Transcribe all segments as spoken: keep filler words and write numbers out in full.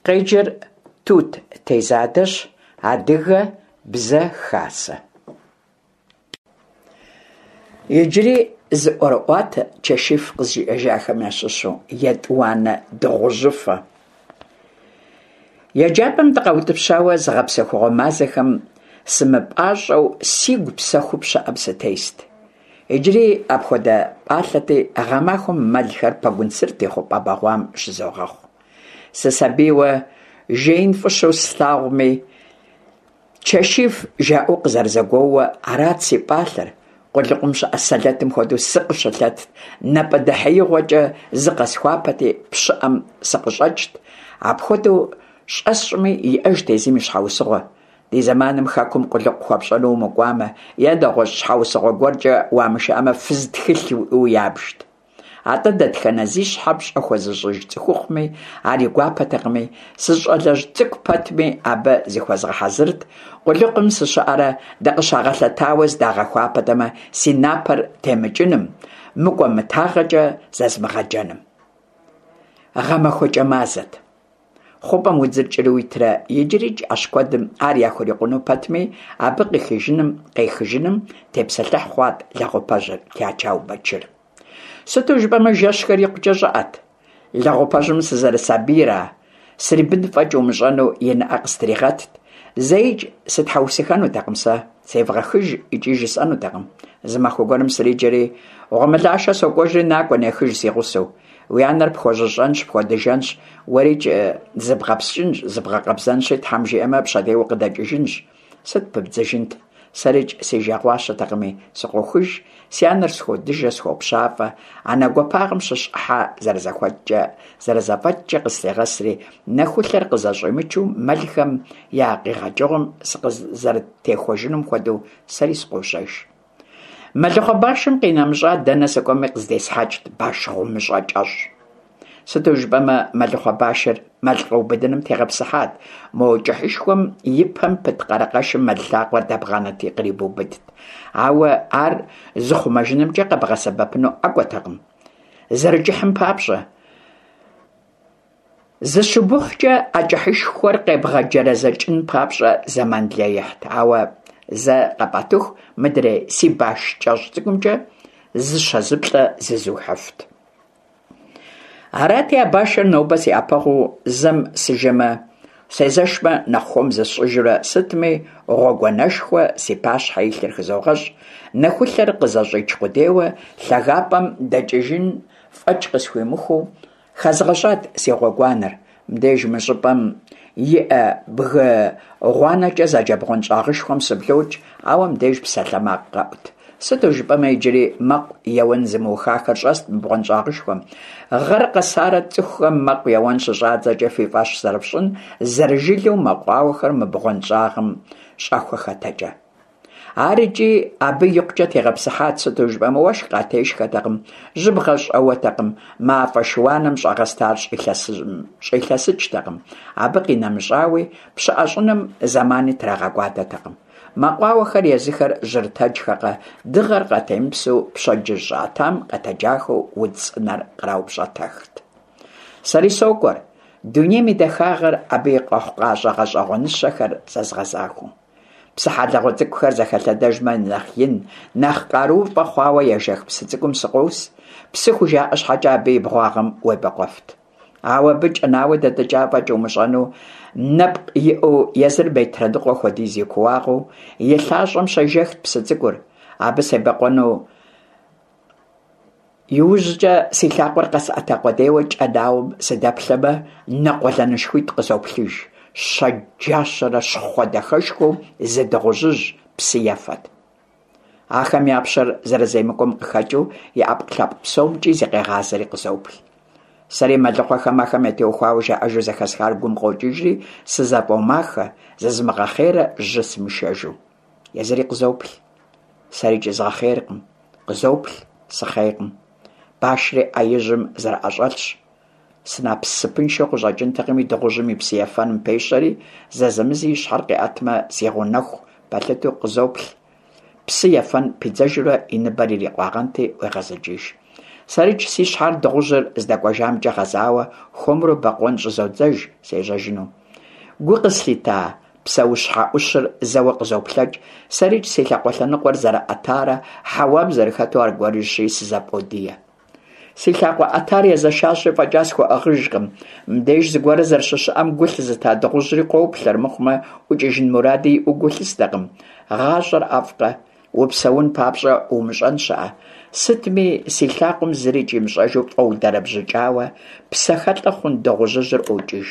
Къеджэр Тут Тезадэщ, Адыгэ Бзэ Хасэ. Иджыри зы ӀуэрыӀуатэ Чэшиф къызжиӀэжахэм ящыщу. ЕтӀуанэ дыгъужьыфэ. ЕджапӀэм дыкъаутӀыпщауэ зыгъэпсэхугъуэ мазэхэм сымыпӀащӀэу, сигу псэхуу пщыӀэм сытест. Иджыри апхуэдэ пӀалъэти, гъэмахуэм мэлхэр Пэгунсырт и хъупӀэ бэгъуам щызогъэхъу. Сысабийуэ жеин фӀыщэу слъагъуми, Чэшиф жаӀэу къызэрызэгуоуэ, арат си пӀалъэр. Къулыкъум щыӀэ сэлэтым хуэдэу сыкъыщылъэтт, напӀэдэхьеигъуэкӀэ зыкъэсхуапэти, пщыӀэм сыкъыщӀэкӀт. Апхуэдэу щӀэсщӀми иӀэжт езым и щхьэусыгъуэ. Ди зэманым хэкум къулыкъу хуэпщӀэну умыкӀуамэ е нэгъуэщӀ щхьэусыгъуэ гуэркӀэ уамышыӀэмэ, фыз тхылъ уиӀэу ябжт. АтӀэ дэтхэнэ зи щхьэ пщӀэ хуэзыщӀыж цӀыхухъуми ар и гуапэтэкъыми, сыщӀалэжь цӀыкӀу пэтми, абы зыхуэзгъэхьэзырт, къулыкъум сыщыӀэрэ дыкъыщагъэлъэтауэ зыдагъэхуапэтэмэ, си напэр темыкӀыным, мыкӀуэмытагъэкӀэ зэзмыгъэджэным. ГъэмахуэкӀэ мазэт. ХъупӀэм удзыр кӀыру итрэ иджырикӀ Ӏэщ куэдым ар яхурикъуну пэтми, абы къыхижыным, къехыжыным тепсэлъыхь хъуат лэгъупэжьыр, Чачау Бэчыр. Сыту жыпӀэмэ, жэщхэр икъукӀэ щӀыӀэт. Лэгъупэжьым сызэрысабийра, срибын фӀэкӀ умыщӀэну и нэӀэ къыстригъэтт. ЗэикӀ сытхьэусыхэнутэкъым сэ, севгъэхыж икӀи жысӀэнутэкъым. Зы махуэ гуэрым сриджэри, гъуэмылашэ сокӀуэжри накӀуэ, нехыж си гъусэу. Уи анэр пхуэжьыщӀэнщ, пхуэдыжэнщ, уэрикӀ зыбгъэпскӀынщ, зыбгъэкъэбзэнщи, Тхьэм жиӀэмэ, пщэдей укъыдэкӀыжынщ. Сыт пыбдзыжынт? СэрикӀ си жагъуащэтэкъыми, сыкъохыж, си анэр схуодыжэ, схуопщафӀэ, анэ гуапагъэм щыщ Ӏыхьэ зэрызэхуэкӀкӀэ, зэрызэфӀэкӀкӀэ къыслъегъэсри, нэхулъэр къызэщӀимычу мэлхэм я къигъэкӀыгъуэм сыкъызэрытехуэжынум хуэдэу сэри сыкъожьэж. Мэлыхъуэ башым къинэмыщӀа, дэнэ сыкӀуэми къыздесхьэкӀт баш гъумыщӀэ кӀэщӀ. Сыту жыпӀэмэ, мэлыхъуэ башыр мэл къэубыдыным тегъэпсыхьат, мо кӀыхьышхуэм и пэм пыт къэрэкъэшым мэл лъакъуэр дэбгъанэти кърибубыдт. Ауэ ар зыхъумэжынымкӀэ къэбгъэсэбэпыну ӀэкӀуэтэкъым, зэрыкӀыхьым папщӀэ. ЗыщубыхукӀэ а кӀыхьышхуэр къебгъэджэрэзэкӀын папщӀэ зэман лей ихьт, ауэ зэ къэпӀэтыху мыдрей си баш кӀэщӀ цӀыкӀумкӀэ зыщэ-зыплӀэ зызухыфт. Арати, а башыр нобэ си Ӏэпэгъуу, зэм сыжэмэ, сезэшмэ, нэхъ хуэм зысщӀыжурэ, сытми гъуэгуанэшхуэ си пащхьэ илъыр хызогъэщӀ, нэхулъэр къызэщӀич къудейуэ лъагапӀэм дэкӀыжын фӀэкӀ къысхуимыхуу хэзгъэщӀат си гъуэгуанэр. Мыбдеж мы щӀыпӀэм иӀэ бгы гъуанэкӀэ зэджэ бгъуэнщӀагъышхуэм сыблокӀ, ауэ мыбдеж псалъэмакъ къэӀут. Сыту жыпӀэмэ, иджыри мэкъу еуэн зымыухахэр щӀэст мы бгъуэнщӀагъышхуэм. Гъэр къэсарэ цӀыхухэм мэкъу еуэн щыщӀадзэкӀэ фи фӀэщ зэрыфщӀын, зэрыжылэу мэкъуауэхэр мы бгъуэнщӀагъым щӀэхуэхэтэкӀэ. Ар икӀи абы икъукӀэ тегъэпсыхьат, сыту жыпӀэмэ, уэшх къатешхэтэкъым, жьыбгъэ щӀэуэтэкъым, мафӀэ шыуаным щӀэгъэстар щӀилъэсыкӀтэкъым. Абы къинэмыщӀауи, пщыӀэ щӀыным зэмани трагъэкӀуадэтэкъым. Мэкъуауэхэр езыхэр жьырытэджхэкъэ, дыгъэр къатемыпсэу пщэдджыжь щӀыӀэтам къэтэджахэу удз цӀынэр къраупщӀэтэхт. Сэри сокӀуэр, дунейм и дахагъэр, абы и къэхъукъащӀэ гъэщӀэгъуэныщэхэр зэзгъэзахуэу. Псыхьэлыгъуэ цӀыкӀухэр зэхэлъэдэжмэ, нэхъ ин, нэхъ къарууфӀэ хъуауэ ежэх псы цӀыкӀум сыкъос. Псы хужаӀэ щхьэкӀэ абы и бгъуагъым уебэкъуэфт. Ауэ абы кӀэнауэ дэтӀыкӀа фӀэкӀ умыщӀэну нэпкъ иӀэу, езыр метрэ ныкъуэ хуэдиз и кууагъыу, и лъащӀэм щежэхт псы цӀыкӀур. Абы себэкъуэну иужькӀэ си лъакъуэр къэсӀэта къудейуэ кӀэнауэм сыдэплъэмэ, нэ къуэлэнышхуитӀ къызоплъыж. Щэджащэрэ щхъуэ дахэшхуэу зы дыгъужьыжь псы ефэт. Ахэм я пщэр зэрыземыкӀуэм къыхэкӀыу и Ӏэпкълъэпкъ псомкӀи зыкъегъазэри къызоплъ. Сэри мэлыхъуэхэм ахэм ятеухуауэ жаӀэжу зэхэсхар гум къокӀыжри, сызэфӀомахэ, зызмыгъэхъейрэ жьы сымышэжу. Езыри къызоплъ. СэрикӀ згъэхъейркъым. Къызоплъ, сыхъейкъым. Башри Ӏэ ижьым зэрыӀэщӀэлъщ. Сынасыпыншэу къыщӀэкӀынтэкъыми, дыгъужьым и псы ефэным пещэри, зэзэмызи и щхьэр къиӀэтмэ, си гъунэху пэлъытэу къызоплъ. Псы ефэн пидзэжурэ и ныбэр ирикъуагъэнти, ӀуегъэзыкӀыж. Сэрикӏ си щхьэр дыгъужьыр здэкӏуэжамкӏэ гъэзауэ, хуэмурэ бэкъуэн щӏызодзэж сежьэжыну. Гу къыслъита псэущхьэ ӏущыр зэуэ къызоплъэкӏ, сэрикӏ си лъакъуэ лъэныкъуэр зэрыӏэтарэ хьэуам зэрыхэту аргуэрыжьщи сызэфӏодие. Си лъакъуэ ӏэтар езэшащи, фӏэкӏа схуэӏыгъыжкъым. Мыбдеж зыгуэр зэрыщыщыӏэм гу лъызыта дыгъужьри къоплъ, армыхъумэ ӏукӏыжын муради иӏэу гу лъыстэкъым. Гъащӏэр ӏэфӏкъэ? Упсэун папщӏэ умыщӏэн щыӏэ? Сытми, си лъакъуэм зырикӏ имыщӏэжу фӏэудэрэбжьыкӏауэ, псэхэлӏэ хъун дыгъужьыжьыр ӏуокӏыж.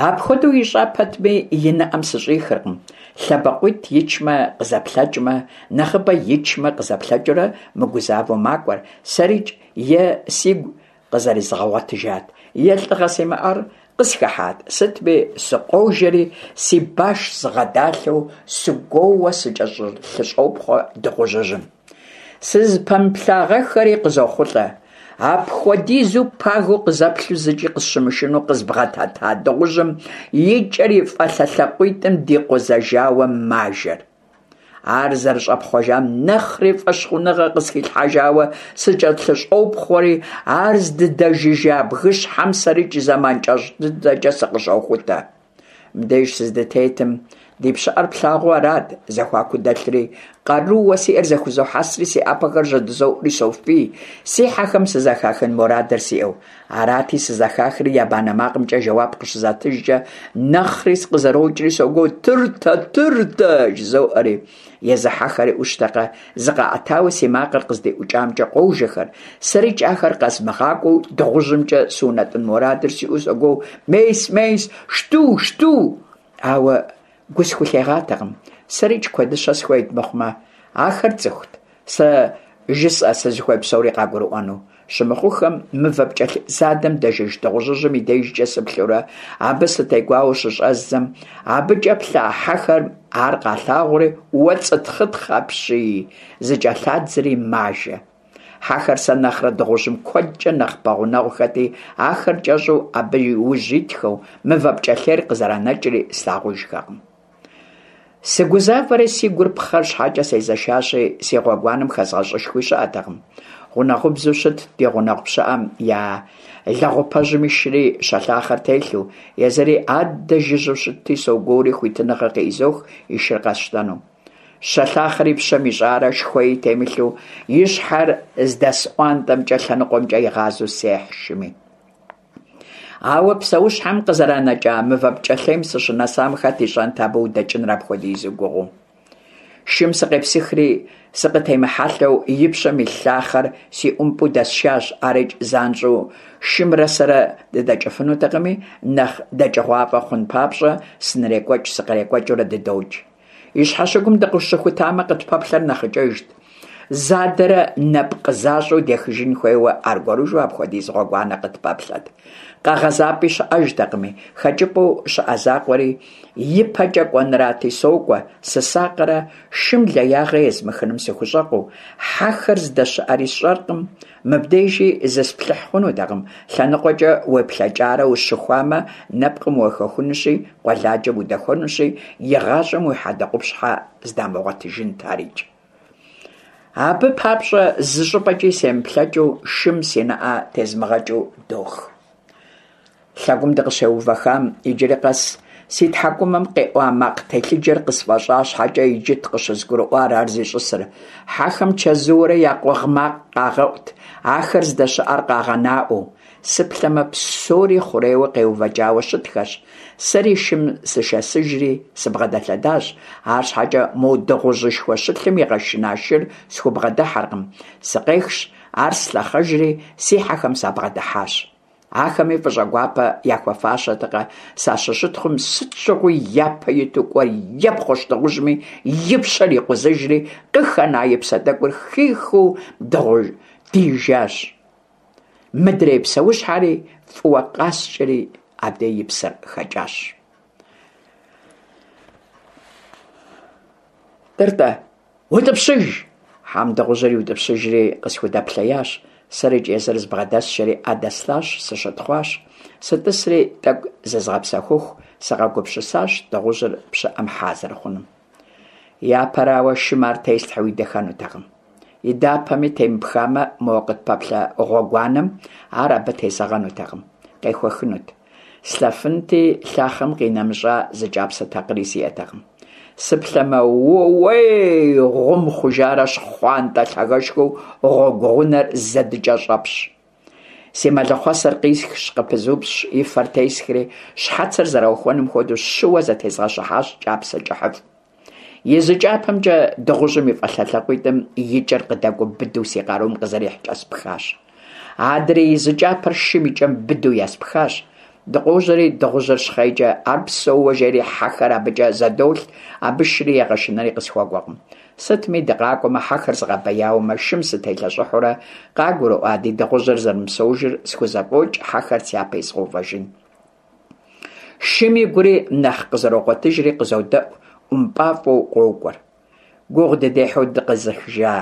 Апхуэдэу ищӏа пэтми, и нэӏэм сыщӏихыркъым. Лъэбакъуитӏ ичмэ, къызэплъэкӏмэ, нэхъыбэ ичмэ, къызэплъэкӏыурэ мыгузавэу макӏуэр. Сэрикӏ е сигу къызэрызгъэгъуэтыжат, е лӏыгъэ симыӏэр къысхыхьат. Сытми, сыкъожэри, си баш згъэдалъэу, сыгуоууэ сыкӏэлъыщӏопхъуэ дыгъужьыжьым. Сызыпэмыплъагъэххэри къызохъулӏэ. Апхуэдизу пагэу къызэплъу зыкӏи къысщымышынэу къызбгъэдэта дыгъужьым и кӏэр и фӏалъэ лъакъуитӏым дикъузэжауэ мажэр. Ар зэрыщӏэпхъуэжам нэхъри фӏэщхъуныгъэ къысхилъхьэжауэ сыкӏэлъыщӏопхъуэри, ар здыдэжыжа бгыщхьэм сэрикӏ зэман кӏэщӏ дыдэкӏэ сыкъыщохутэ. Мыбдеж сыздытетым ди пщыӏэр плъагъуу арат зэхуаку дэлъри, къарууэ сиӏэр зэхузохьэсри, си ӏэпэхэр жьэдызоӏури софий, си хьэхэм сызэхахын мурадыр сиӏэу. Арати, сызэхахри я банэ макъымкӏэ жэуап къыщызатыжкӏэ, нэхъри сыкъызэрокӏри согуо: «Тыртэ, тыртэ!» жызоӏэри. Езы хьэхэри ӏущтэкъэ, зыкъаӏэтауэ си макъыр къыздиӏукӏамкӏэ къожэхэр, сэрикӏ ахэр къэзмыгъакӏуэу дыгъужьымкӏэ сыунэтӏын мурадыр сиӏэу согуо: «Мейс, мейс, шту, шту!» Ауэ гу схулъегъатэкъым, сэрикӏ куэдыщэ схуейт мыхъумэ, ахэр цӏыхут, сэ жысӏэ сызыхуей псори къагурыӏуэну. Щымыхъуххэм, мывэ пкӏэлъей задэм дэжыж дыгъужьыжьым и дежкӏэ сыплъэурэ, абы сытегуауэ щыщӏэздзэм, абыкӏэ плъа хьэхэм ар къалъагъури, уэ цӏытхъытхъ апщий, зыкӏэлъадзри мажэ. Хьэхэр сэ нэхърэ дыгъужьым куэдкӏэ нэхъ пэгъунэгъухэти, ахэр кӏэщӏу абы и ужь итхэу, мывэ пкӏэлъейр къызэранэкӏри слъагъужхэкъым. Сыгузавэри си гур пхъэр щхьэкӏэ сезэшащи, си гъуэгуанэм хэзгъэщӏышхуи щыӏэтэкъым. Гъунэгъубзэу щытт ди гъунэгъу пщыӏэм я лэгъупэжьым ишри щэлъахъэр телъу, езыри аддэ жыжьэу щытти, согуоури хуитыныгъэ къыӏизох и шыр къэсщтэну. Щэлъахъэр и пщэм ищӏарэ шхуэи темылъу, и щхьэр здэсӏуантӏэмкӏэ лъэныкъуэмкӏэ игъазэу сехь шыми. Ауэ псэущхьэм къызэранэкӏа мывэ пкӏэлъейм сыщынэсам хэт ищӏэнт абы удэкӏыныр апхуэдизу гугъуу. Шым сыкъепсыхри, сыкъытемыхьэлъэу и пщэм илъ лъахъэр си ӏумпӏэу дэсшащ, арикӏ занщӏэу шымрэ сэрэ дыдэкӏыфынутэкъыми, нэхъ дэкӏыгъуафӏэ хъун папщӏэ сынырекӏуэкӏ-сыкърекӏуэкӏыурэ дыдокӏ. И щхьэщыгум дыкъыщыхутамэ, къытпэплъэр нэхъыкӏэжт. Задэрэ нэпкъ защӏэу дехыжын хуейуэ аргуэрыжу апхуэдиз гъуэгуанэ къытпэплъэт. Къэгъэзапӏи щыӏэжтэкъыми, хэкӏыпӏэу щыӏэ закъуэри ипэкӏэ кӏуэнырати, сокӏуэ, сысакърэ шым леягъэ езмыхыным сыхущӏэкъуу, хьэхэр здэщыӏэри сщӏэркъым, мыбдежи зысплъыхь хъунутэкъым, лъэныкъуэкӏэ уеплъэкӏарэ ущыхуамэ, нэпкъым уехэхынущи, къуэладжэм удэхуэнущи, игъащӏэм уи хьэдэ къупщхьэ здамыгъуэтыжынт арикӏ. Абы папщӏэ зы щӏыпӏэкӏи семыплъэкӏыу, шым си нэӏэ тезмыгъэкӏыу дох. Лъэгум дыкъыщеувэхам иджыри къэс си тхьэкӏумэм къеӏуа макъ телъыджэр къысфӏэщӏа щхьэкӏэ иджыт къыщызгурыӏуар ар зищӏысыр. Хьэхэм чэзуурэ я къугъ макъ къагъэӏут, ахэр здэщыӏэр къагъэнаӏуэу. Сыплъэмэ, псори хъурейуэ къеувэкӏауэ щытхэщ. Сэри шым сышэсыжри сыбгъэдэлъэдащ, арщхьэкӏэ мо дыгъужьышхуэ щылъым игъэшына шыр схубгъэдыхьэркъым. Сыкъехщ, ар слъэхъэжри, си хьэхэм сабгъэдыхьащ. Ахэми фӏыщӏэгуапэ яхуэфащэтэкъэ, сащыщытхъум сыт щыгъуи япэ иту кӏуэр епхъуэщ дыгъужьми, и пщэр икъузыжри, къыхэна и псэ тӏэкӏур хихыу дыгъу дижащ. Мыдрей псэущхьэри фӏыуэ къаскӏэри абдей и псэр хэкӏащ. Тӏыртӏэ, утӏыпщыж! Хьэм дыгъужьыр иутӏыпщыжри къысхудэплъеящ. Сэрикӏ езыр збгъэдэсшэри ӏэ дэслъащ, сыщытхъуащ. Сытӏысри тӏэкӏу зызгъэпсэхуху сыкъэгупсысащ дыгъужьыр пщыӏэм хьа зэрыхъунум. Япэрауэ, шым ар теслъхьэу идэхэнутэкъым. Идапэми темыпхамэ, мо къытпэплъэ гъуэгуанэм ар абы тезэгъэнутэкъым, къехуэхынут. Слъэфынти, лъахъэм къинэмыщӏа зы кӏапсэ такъыри сиӏэтэкъым. Сыплъэмэ, ууей, гъум хъужарэ щхъуантӏэ лъагэшхуэу гъуэгу гъунэр зэдыкӏэщӏэпщ. Си мэлыхъуэсэр къисхщ, къыпызупщӏщ, и фэр тесхри, щхьэцыр зэраухуэным хуэдэу щыуэ зэтезгъэщыхьащ кӏапсэ кӏыхьыфӏ. И зы кӏапэмкӏэ дыгъужьым и фӏалъэ лъакъуитӏым и кӏэр къыдэкӏуэу быдэу си къарум къызэрихькӏэ спхащ. Адрей и зы кӏапэр шым и кӏэм быдэу еспхащ. Дыкъожьэри, дыгъужьыр щхъейкӏэ, ар псэууэ жери хьэхэр абыкӏэ зэдолъ, абы шыри егъэшынэри къысхуэкӏуэкъым. Сытми, дыкъакӏуэмэ, хьэхэр згъэбэяумэ, шым сытелъэщӏыхьурэ къагурыӏуа ди дыгъужьыр зэрымыпсэужыр схузэфӏокӏ хьэхэр сяпэ изгъэувэжын. Шым игури нэхъ къызэрогъуэтыжри къызодэӏу, ӏумпӏафӏэу къокӏуэр. Гугъу дыдехьу дыкъезыхыжа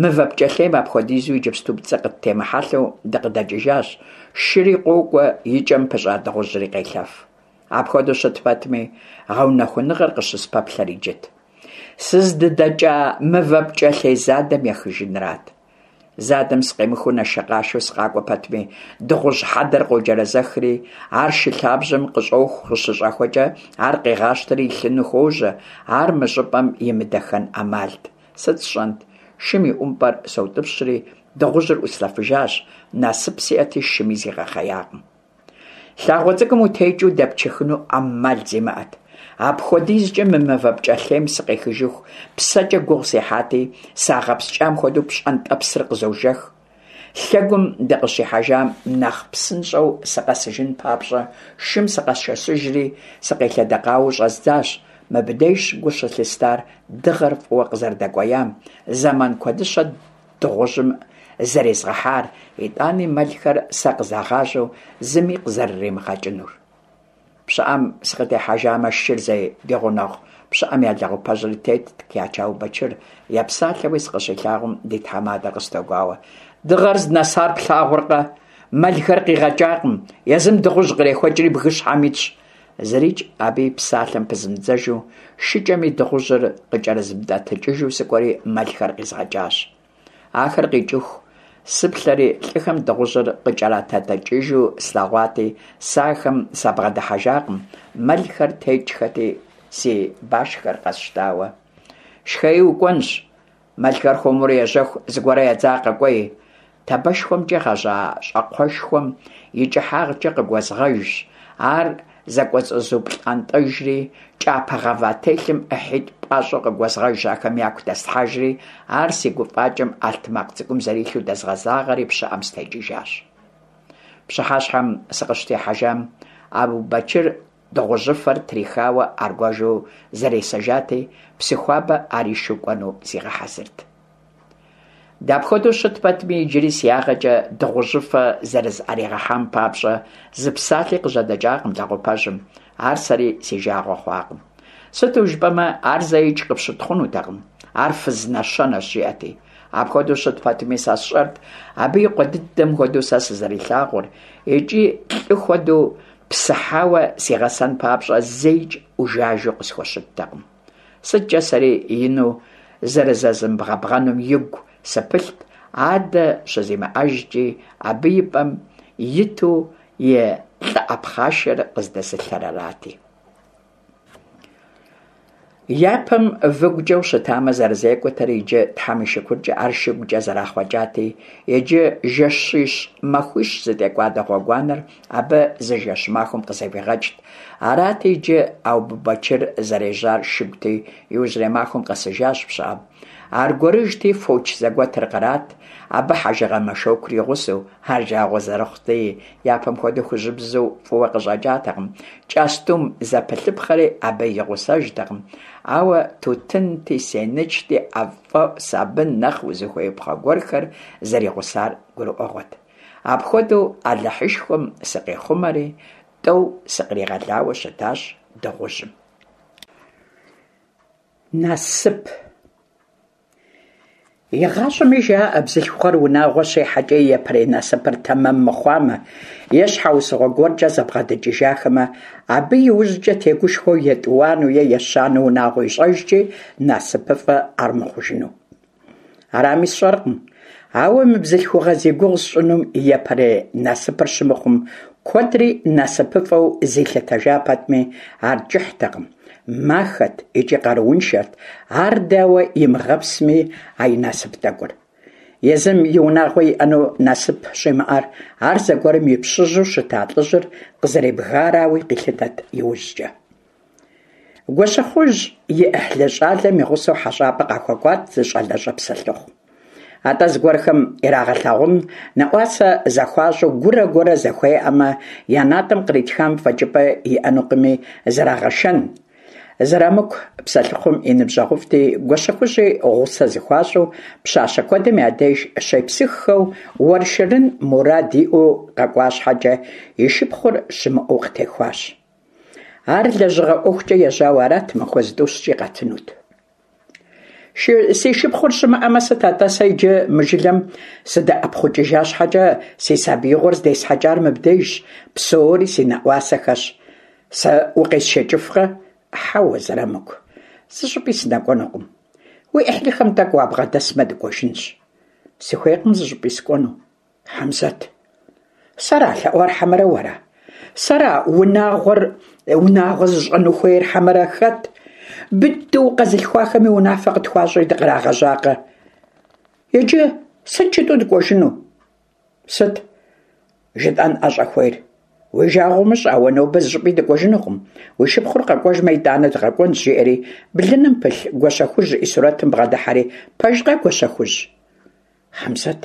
мывэ пкӏэлъейм апхуэдизу иджыпсту пцӏы къыттемыхьэлъэу дыкъыдэкӏыжащ, шыри къокӏуэ, и кӏэм пыщӏа дыгъужьри къелъэф. Апхуэдэу щыт пэтми, гъэунэхуныгъэр къыщыспэплъэр иджыт. Сыздыдэкӏа мывэ пкӏэлъей задэм ехыжынрат. Задэм сыкъемыхыу нашэкъашэу сыкъакӏуэ пэтми, дыгъужь хьэдэр къоджэрэзэхри, ар шы лъабжьэм къыщӏоху, къыщыщӏэхуэкӏэ ар къегъащтэри илъыну хуожьэ, ар мы щӏыпӏэм имыдэхэн ӏэмалт. Сыт сщӏэнт? Шым и ӏумпӏэр соутӏыпщри, дыгъужьыр ӏуслъэфыжащ, насып сиӏэти шыми зигъэхъеякъым. Лъагъуэ цӏыкӏум утекӏыу дэпчыхыну ӏэмал зимыӏэт. Апхуэдизкӏэ мы мывэ пкӏэлъейм сыкъехыжыху псэкӏэ гугъу сехьати, сагъэпскӏам хуэдэу пщӏэнтӏэпсыр къызожэх. Лъэгум дыкъыщихьэжам нэхъ псынщӏэу сыкъэсыжын папщӏэ шым сыкъэсшэсыжри сыкъелъэдэкъауэу щӏэздзащ. Мыбдежщ гу щылъыстар дыгъэр фӏыуэ къызэрыдэкӏуеям, зэман куэдыщэ дыгъужьым зэрезгъэхьар, итӏани мэлхэр сэ къызагъащӏэу зыми къызэрыримыгъэкӏынур. Пщыӏэм сыкъытехьэжамэ, шыр зей ди гъунэгъу пщыӏэм я лэгъупэжьри тетт Кячэ Аубэчыр, епсалъэуи сыкъыщилъагъум ди тхьэмадэр къыстогуауэ. Дыгъэр здынэсар плъагъуркъэ? Мэлхэр къигъэкӏакъым, езым дыгъужь кърехуэкӏри бгыщхьэм итщ. Зырикӏ абы и псалъэм пызмыдзэжу, шыкӏэми дыгъужьыр къыкӏэрызмытӏэтыкӏыжу сыкӏуэри мэлхэр къизгъэкӏащ. Ахэр къикӏыху сыплъэри лӏыхэм дыгъужьыр къыкӏэратэтӏыкӏыжу слъэгъуати, сэ ахэм сабгъэдыхьэжакъым, мэлхэр текӏхэти, си башхэр къэсщтауэ. Шхэи укӏуэнщ, мэлхэр хуэмурэ ежьэху зыгуэрэ едзакъэ кӏуэи. Табэшхуэмкӏэ гъэжьа щӏакхъуэшхуэм и кӏыхьагъкӏэ къыгуэзгъэжщ, ар зэкӏуэцӏызуплӏантӏэжри, кӏапэ гъэва телъым ӏыхьитӏу пӏащӏэу къыгуэзгъэжщ, ахэм яку дэслъхьэжри, ар си гуфӏакӏэм ӏэлътмакъ цӏыкӏум зэрилъу дэзгъэзагъэри пщыӏэм сытекӏыжащ. Пщыхьэщхьэм сыкъыщытехьэжам Аубэчыр дыгъужьыфэр трихауэ аргуэжу зэресэжати, Псыхуабэ ар ишу кӏуэну зигъэхьэзырт. Дапхуэдэу щыт пэтми, иджыри си ягъэкӏэ дыгъужьыфэ зэрызӏэригъэхьам папщӏэ зы псалъи къыжьэдэкӏакъым лэгъупэжьым, ар сэри си жагъуэ хъуакъым. Сыту жыпӏэмэ, ар зэикӏ къыпщытхъунутэкъым, ар фыз нэщэнэщ, жиӏэти. Апхуэдэу щыт пэтми, сэ сщӏэрт абы и къуэ дыдэм хуэдэу сэ сызэрилъагъур, икӏи лӏы хуэдэу псыхьауэ сигъэсэн папщӏэ зэикӏ ӏужажэу къысхуэщыттэкъым. Сыткӏэ сэри ину зэрызэзымбгъэбгъэнум игу сыпылът, адэ щызимыӏэжкӏи, абы и пӏэм иту и лӏыӏэ пхъашэр къыздэзылъэр арати. Япэм выгукӏэ ущытамэ зэрызекӏуэтэр, иджы Тхьэм и шыкуркӏэ ар шыгукӏэ зэрахъуэкӏати, иджы жэщищ-махуищ зытекӏуадэ гъуэгуанэр абы зы жэщ-махуэм къызэфӏигъэкӏт. Арати, иджы Аубэчыр зэрежьар шыгути, иужьрей махуэм къэсыжащ пщыӏэм. Аргуэрыжьти, фоч зэгуэтыр кърат, абы хьэжыгъэ мэшокур и гъусэу, ар жагъуэ зэрыхъути, япэм хуэдэу хужьыбзэу фӏыуэ къыщӏэкӏатэкъым, кӏэстум зэпылъыпхъэри абы и гъусэжтэкъым, ауэ тутынти, сенычти, ӏэфӏэӏу, сабын, нэхъ узыхуеипхъэ гуэрхэр зэригъусар гурыӏуэгъуэт. Апхуэдэу Алыхьышхуэм сыкъихъумэри, тӏэу сыкъригъэлауэ щытащ дыгъужьым. Насып. Игъащӏэми жаӏэ, бзылъхугъэр унагъуэ щихьэкӏэ и япэрей насыпыр тэмэм мыхъуамэ е щхьэусыгъуэ гуэркӏэ зэбгъэдэкӏыжахэмэ, абы иужькӏэ тегушхуэу етӏуанэу е ещанэу унагъуэ ищӏэжкӏи насыпыфӏэ ар мыхъужыну. Арами сщӏэркъым. Ауэ мы бзылъхугъэ зи гугъу сщӏынум и япэрей насыпыр щымыхъум, куэдри насыпыфӏэу зилъытэжа пэтми, ар кӏыхьтэкъым, махэт икӏи къарууншэт, ар дауэ имыгъэпсми а и насып тӏэкӏур. Езым и унагъуэ иӏэну насып щӏимыӏэр ар зэгуэрым и пщыжьу щыта лӏыжьыр къызэребгарауи къилъытэрт иужькӏэ. Гуащэхужь и ӏыхьлы щӏалэм и гъусэу хьэщӏапӏэ къахуэкӏуат зы щӏалэщӏэ псэлъыхъу. Атӏэ зыгуэрхэм ирагъэлъагъун, нэӏуасэ зэхуащӏу гурэ гурэ зэхуеӏэмэ, я натӏэм къритхам фӏэкӏыпӏэ иӏэнукъыми, зэрагъэшэн. Зырамыку псэлъыхъум и ныбжьэгъуфӏти, Гуащэхужьи гъусэ зыхуащӏу, пщащэ куэдым я деж щепсыххэу уэршэрын мурад иӏэу къэкӏуа щхьэкӏэ, и шыпхъур щымыӏэу къытехуащ. Ар лэжьыгъэ ӏуэхукӏэ ежьауэ арат, махуэ зытӏущкӏи къэтынут. Си шыпхъур щымыӏэмэ, сыт атӏэ сэ иджы мы жылэм сыдэӏэпхъукӏыжа щхьэкӏэ, си сабиигъуэр здесхьэкӏар мыбдежщ, псори си нэӏуасэхэщ. Сэ укъесшэкӏыфкъэ? Хьэуэ, Зырамыку, зыщӏыпӏи сынэкӏуэнукъым. Уи ӏыхьлыхэм тӏэкӏу уабгъэдэсмэ дыкӏуэжынщ. Сыхуейкъым зыщӏыпӏи сыкӏуэну. Хьэмзэт, сэра лъэӏуар хьэмэрэ уэра? Сэра унагъуэр унагъуэ зыщӏэну хуейр хьэмэрэ хэт? Быдэу къэзылъхуахэми унафэ къытхуащӏри дыкърагъэжьакъэ? Иджы сыт жытӏэу дыкӏуэжыну? Сыт жытӏэн ӏэщӏэхуейр? Уи жагъуэ умыщӏ, ауэ нобэ зыщӏыпӏи дыкӏуэжынукъым. Уи шыпхъур къэкӏуэжмэ, итӏанэ дыкъэкӏуэнщ, жиӏэри блыным пылъ Гуащэхужь и сурэтым бгъэдыхьэри, пэжкъэ, Гуащэхужь? Хьэмзэт,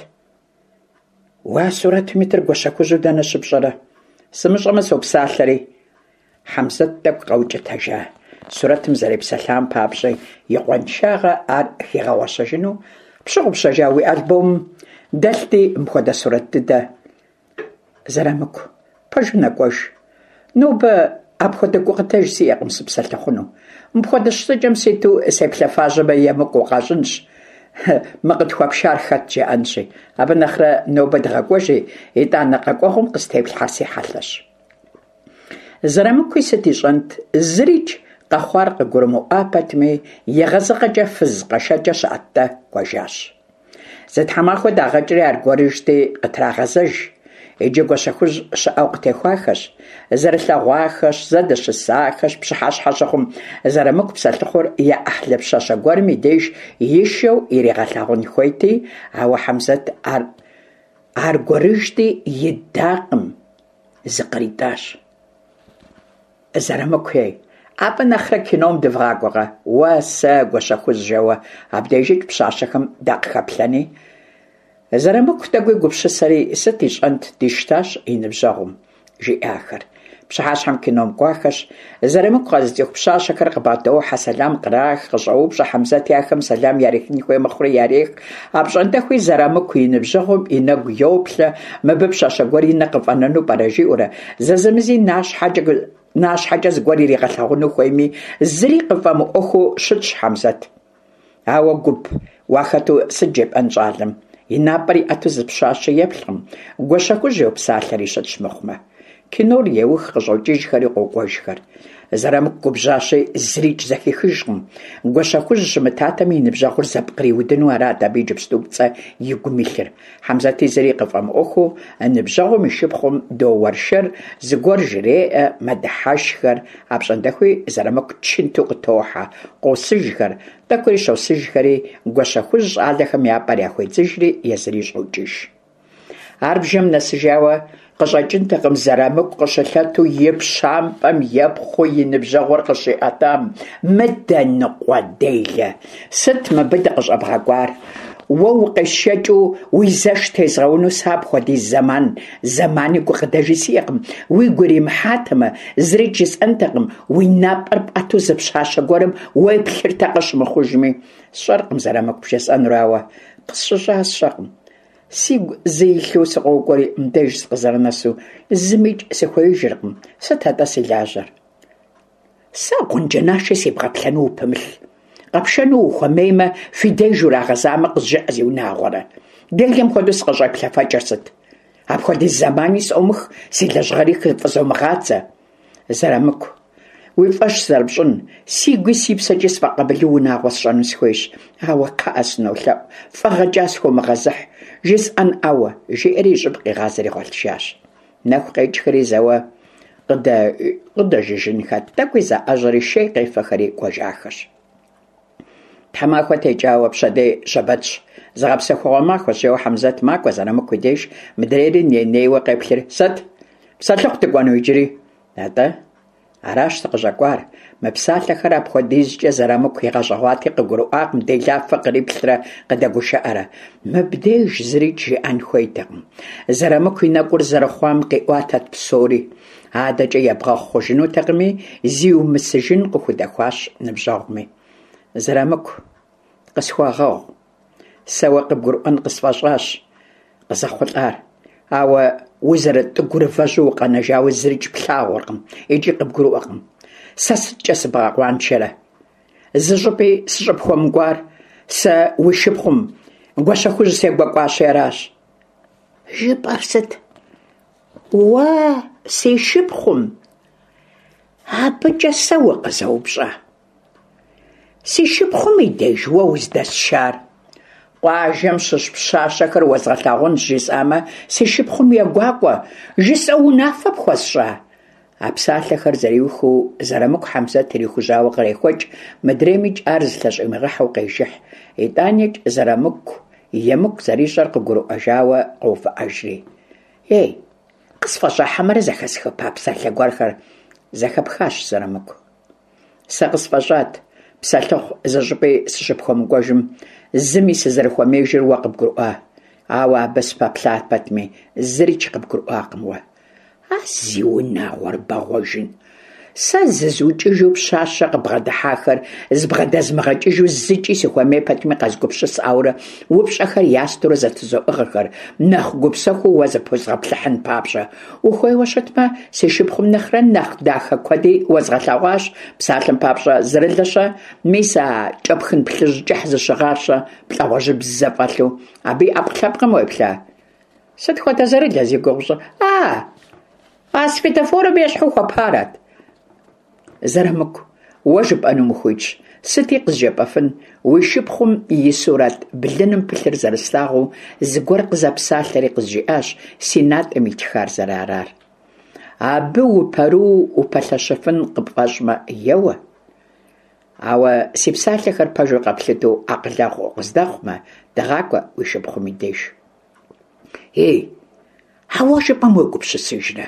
уэ а сурэтым итыр Гуащэхужьу дэнэ щыпщӏэрэ? Сымыщӏэмэ, сопсалъэри. Хьэмзэт тӏэкӏу къэукӏытэжа сурэтым зэрепсэлъам папщӏи, и къуаншагъэ ар хигъэгъуэщэжыну пщыгъупщэжа уи альбомым дэлъти мыпхуэдэ сурэт дыдэ. Зырамыку, пэжу нэкӏуэж. Нобэ апхуэдэ гукъыдэж сиӏэкъым сыпсэлъыхъуну. Мыпхуэдэ щытыкӏэм ситу сеплъэфажьэмэ, емыкӏу къащӏынщ. Мы къытхуэпшар хэт жаӏэнщи. Абы нэхърэ нобэ дыгъэкӏуэжи, итӏанэ къэкӏуэгъум къыстеплъхьэр си хьэлъэщ. Зырамыкуи сыт ищӏэнт, зырикӏ къэхъуар къыгурымыӏуа пэтми, егъэзыгъэкӏэ фыз къэшэкӏэ щыӏэт-тӏэ, кӏуэжащ. Зы тхьэмахуэ дагъэкӏри аргуэрыжьти къытрагъэзэж. Иджы Гуащэхужь щыӏэу къытехуахэщ. Зэрылъэгъуахэщ, зэдэщысахэщ, пщыхьэщхьэ щыхъум Зырамыку псэлъыхъур я ӏыхьлы пщащэ гуэрым и деж ишэу иригъэлъагъун хуейти, ауэ Хьэмзэт ар аргуэрыжьти идакъым, зыкъритӏащ. Зырамыку ей, абы нэхърэ кином дывгъакӏуэкъэ? Уэ, сэ, Гуащэхужь жэуэ абдежикӏ пщащэхэм дакъыхэплъэни. Зырамыку тӏэкӏуи гупсысэри, сыт ищӏэнт, дищтащ и ныбжьэгъум жиӏахэр. Пщыхьэщхьэм кином кӏуахэщ. Зырамыку къэзыцӏыху пщащэхэр къыбгъэдохьэ, сэлам кърах, къыщӏоупщӏэ. Хьэмзэти ахэм сэлам ярихын хуей мыхъури ярех. Апщӏондэхуи Зырамыку и ныбжьэгъум и нэгу йоплъэ, мыбы пщащэ гуэр и нэ къыфӏэнэну пӏэрэ жиӏэурэ, зэзэмызи нащхьэкӏэ нащхьэкӏэ зыгуэр иригъэлъагъуну хуейми, зыри къыфӏэмыӏуэхуу щытщ Хьэмзэт. Ауэ гуп уахэту сыт жепӏэн щӏалэм? И напӏэр иӏэту зы пщащэ еплъкъым, Гуащэхужь йопсалъэри щытщ мыхъумэ. Кинор еух, къыщӏокӏыжхэри къокӏуэжхэр. Зырамыку губжьащи, зырикӏ зэхихыжкъым. Гуащэхужь щымытатэми, и ныбжьэгъур зэпкъриудыну арат абы иджыпсту пцӏэ и гум илъыр. Хьэмзэти зыри къыфӏэмыӏуэхуу ныбжьэгъум и шыпхъум доуэршэр, зыгуэр жреӏэ, мэдыхьэшхэр. Апщӏондэхуи Зырамыку чынту къытохьэ, къосыжхэр, тӏэкӏури щосыжхэри, Гуащэхужь щӏалэхэм я пӏэр яхуедзыжри езыри щӏокӏыж. Ар бжэм нэсыжауэ къыщӏэкӏынтэкъым Зырамыку къыщылъэту и пщампӏэм епхъуу и ныбжьэгъур къыщиӏэтам. Мыдэ ныкъуэделэ, сыт мыбы дыкъыщӏэбгъэкӏуар? Уэ укъесшэкӏыу уи зэш тезгъэуну сэ апхуэдиз зэман, зэмани гукъыдэжи сиӏэкъым. Уигу иримыхьатэмэ, зырикӏ жысӏэнтэкъым, уи напӏэр пӏэту зы пщащэ гуэрым уеплъыртэкъэ щымыхъужми. Сщӏэркъым Зырамыку бжесӏэнур, ауэ къысщыщӏа сщӏэкъым. Сигу зы илъу сыкъокӏуэри, мыбдеж сыкъызэрынэсу зымикӏ сыхуеижыркъым. Сыт атӏэ си лажьэр? Сэ гъунджэнашэ себгъэплъэну упымылъ. Къэпшэну ухуэмеймэ, фи деж урагъэзамэ, къызжыӏэ, зиунагъуэрэ. Делэм хуэдэу сыкъыщӏеплъэфэкӏыр сыт? Апхуэдиз зэмани сӏомых, си лэжьыгъэри хыфӏызомыгъадзэ. Зырамыку, Уи фӀэщ зэрыпщӀын, си гуи си псэкӀи сфӀэкъабылу унагъуэ сщӀэну сыхуейщ, ауэ, кхъыӀэ, сынолъэӀу, фӀэгъэкӀа схыумыгъэзыхь, жысӀэнӀауэ, – жиӀэри и щӀыб къигъазэри гъуэлъыжащ. Нэху къекӀхэри зэуэ къыдэжыжынхэт, тӀэкӀуи заӀэжьэри шей къефэхэри кӀуэжахэщ. Тхьэмахуэ текӀауэ, пщэдей щэбэтщ, зыгъэпсэхугъуэ махуэщ, жэуэ Хьэмзэт макӀуэ Зэрамыку и деж, мыдрейри ней-нейуэ къеплъри: «Сыт, псэлъыхъу дыкӀуэну иджыри?» «АтӀэ, аращ сыкъыщӀэкӀуар». Мы псалъэхэр апхуэдизкӀэ Зэрамыку игъэщӀэгъуати, къыгурыӀуакъым делафэ къриплърэ къыдэгушыӀэрэ. Мыбдеж зырикӀ жиӀэн хуейтэкъым. Зэрамыку и нэкӀур зэрыхъуам къиӀуатэрт псори. АдэкӀэ ебгъэхъу хъужынутэкъыми, зиумысыжын къыхудэхуащ ныбжьэгъуми. «Зэрамыку, къысхуэгъэгъу, сэ уэ къыбгурыӀуэн къысфӀэщӀащ къызэхъулӀар, ауэ узэрытӀыгурывэжьу укъэнэжауэ зырикӀ плъагъуркъым икӀи къыбгурыӀуэркъым. Сэ сыткӀэ сыбгъэкъуаншэрэ? ЗыщӀыпӀи сыщӀыпхуэмыкӀуар сэ уи шыпхъум Гуащэхужь сегуэкӀуащи аращ». «ЖыпӀэр сыт? Уэ си шыпхъум? АбыкӀэ сэ укъызэупщӀа? Си шыпхъум и деж уэ уздэсшар? Къуажэм щыщ пщащэхэр уэзгъэлъагъунщ жысӀамэ, си шыпхъум егуакӀуэ, жысӀэу унафэ пхуэсщӀа?» А псалъэхэр зэриухыу Зэрамыку Хьэмзэт ирихужьауэ кърехуэкӀ, мыдреймикӀ ар зылъэщӀимыгъэхьэу къежыхь. ИтӀаникӀ Зэрамыку емыкӀу зэрищӀэр къыгурыӀуэжауэ къоувыӀэжри: «Ей, къысфӀэщӀа хьэмэрэ зэхэсхыпа псалъэ гуэрхэр?» «Зэхэпхащ, Зэрамыку. Сэ къысфӀэщӀат псэлъыхъу зыщӀыпӀи сыщыпхуэмыкӀуэжым, зыми сызэрыхуэмеижыр уэ къыбгурыӀуа. Ауэ абы сыпэплъа пэтми, зырикӀ къыбгурыӀуакъым уэ. А зи унагъуэр бэгъуэжын! Сэ зызукӀыжу пщащэ къыбгъэдыхьахэр зыбгъэдэзмыгъэкӀыжу зыкӀи сыхуэмей пэтми къэзгупсысӀаурэ упщӀэхэр ястурэ зэтызоӀыгъэхэр, нэхъ гупсэхуу уэ зыпозгъэплъыхьын папщӀэ. Ухуейуэ щытмэ, си шыпхъум нэхърэ нэхъ дахэ куэди уэзгъэлъэгъуащ, псалъэм папщӀэ, Зэрылэ-щэ, мис а кӀэпхын плъыжь кӀыхь зыщыгъар-щэ, плӀэ гъуэжьыбзэ фӀэлъу, абы и Ӏэпкълъэпкъым уеплъа? Сыт хуэдэ Зэрылэ зи гугъу пщӀыр? А, а светофорым ещхьу хуэпарат. Зэрамыку, уэ жыпӀэнум ухуитщ, сыти къызжепӀэфын, уи шыпхъум и сурэт блыным пылъыр зэрыслъагъуу, зыгуэр къызэпсалъэри къызжиӀащ си натӀэм итхар зэрыарар. Абы упэрыу упэлъэщыфын къыпфӀэщӀмэ, еуэ. Ауэ си псалъэхэр пэжу къэплъытэу акъылэгъу укъыздэхъумэ, дыгъакӀуэ уи шыпхъум и деж. Ей, а уэ жыпӀэм уегупсысыжрэ?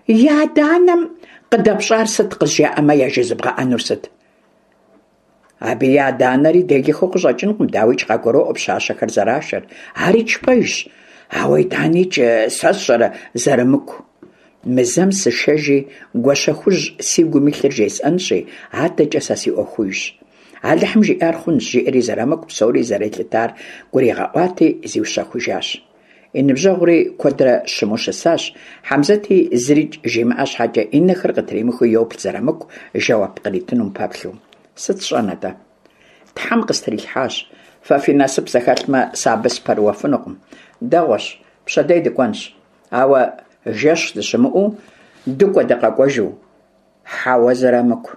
И адэ-анэм къыдэпщӀар сыт къызжаӀэмэ, яжезыбгъэӀэнур сыт? Абы и адэ-анэри делэхэу къыщӀэкӀынкъым, дауикӀ къагуроӀуэ пщащэхэр зэрашэр. АрикӀ пэжщ, ауэ итӀаникӀ сэ сщӀэрэ, Зэрамыку. Мы зэм сышэжи, Гуащэхужь си гум илъыр жесӀэнщи, адэкӀэ сэ си Ӏуэхужщ. Алыхьым жиӀар хъунщ, жиӀэри Зэрамыку псори зэрелъытар гуригъэӀуати, зиущэхужащ. И ныбжьэгъури куэдрэ щыму щысащ, Хьэмзэти зырикӀ жимыӀэ щхьэкӀэ и нэхэр къытримыхыу йоплъ Зэрамыку жэуап къритынум пэплъэу. «Сыт сщӀэн атӀэ? Тхьэм къыстрилъхьащ. Фэ фи насып зэхэлъмэ, сэ абы сыпэрыуэфынукъым. Дэгъуэщ, пщэдей дыкӀуэнщ. Ауэ жэщ дыщымыӀэу дыкӀуэ-дыкъэкӀуэжу. Хьэуэ, Зэрамыку.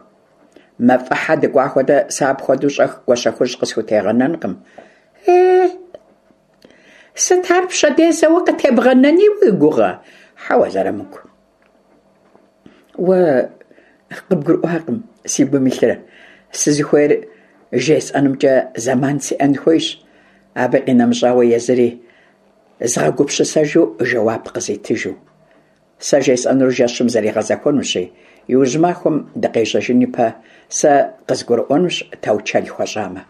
МафӀэхьэ дыкӀуа хуэдэ сэ апхуэдэу щӀэх Гуащэхужь къысхутегъэнэнкъым. Е, сыт ар пщэдей зэуэ къытебгъэнэни уи гугъэ? Хьэуэ, Зэрамыку. Уэ къыбгурыӀуакъым си гум илъыр. Сызыхуейр жесӀэнымкӀэ зэман сиӀэн хуейщ. Абы къинэмыщӀауэ езыри згъэгупсысэжу жэуап къызитыжу. Сэ жесӀэнур жэщым зэригъэзэхуэнущи, иужь махуэм дыкъежьэжын ипэ сэ къызгурыӀуэнущ таучэл хуэщӀамэ».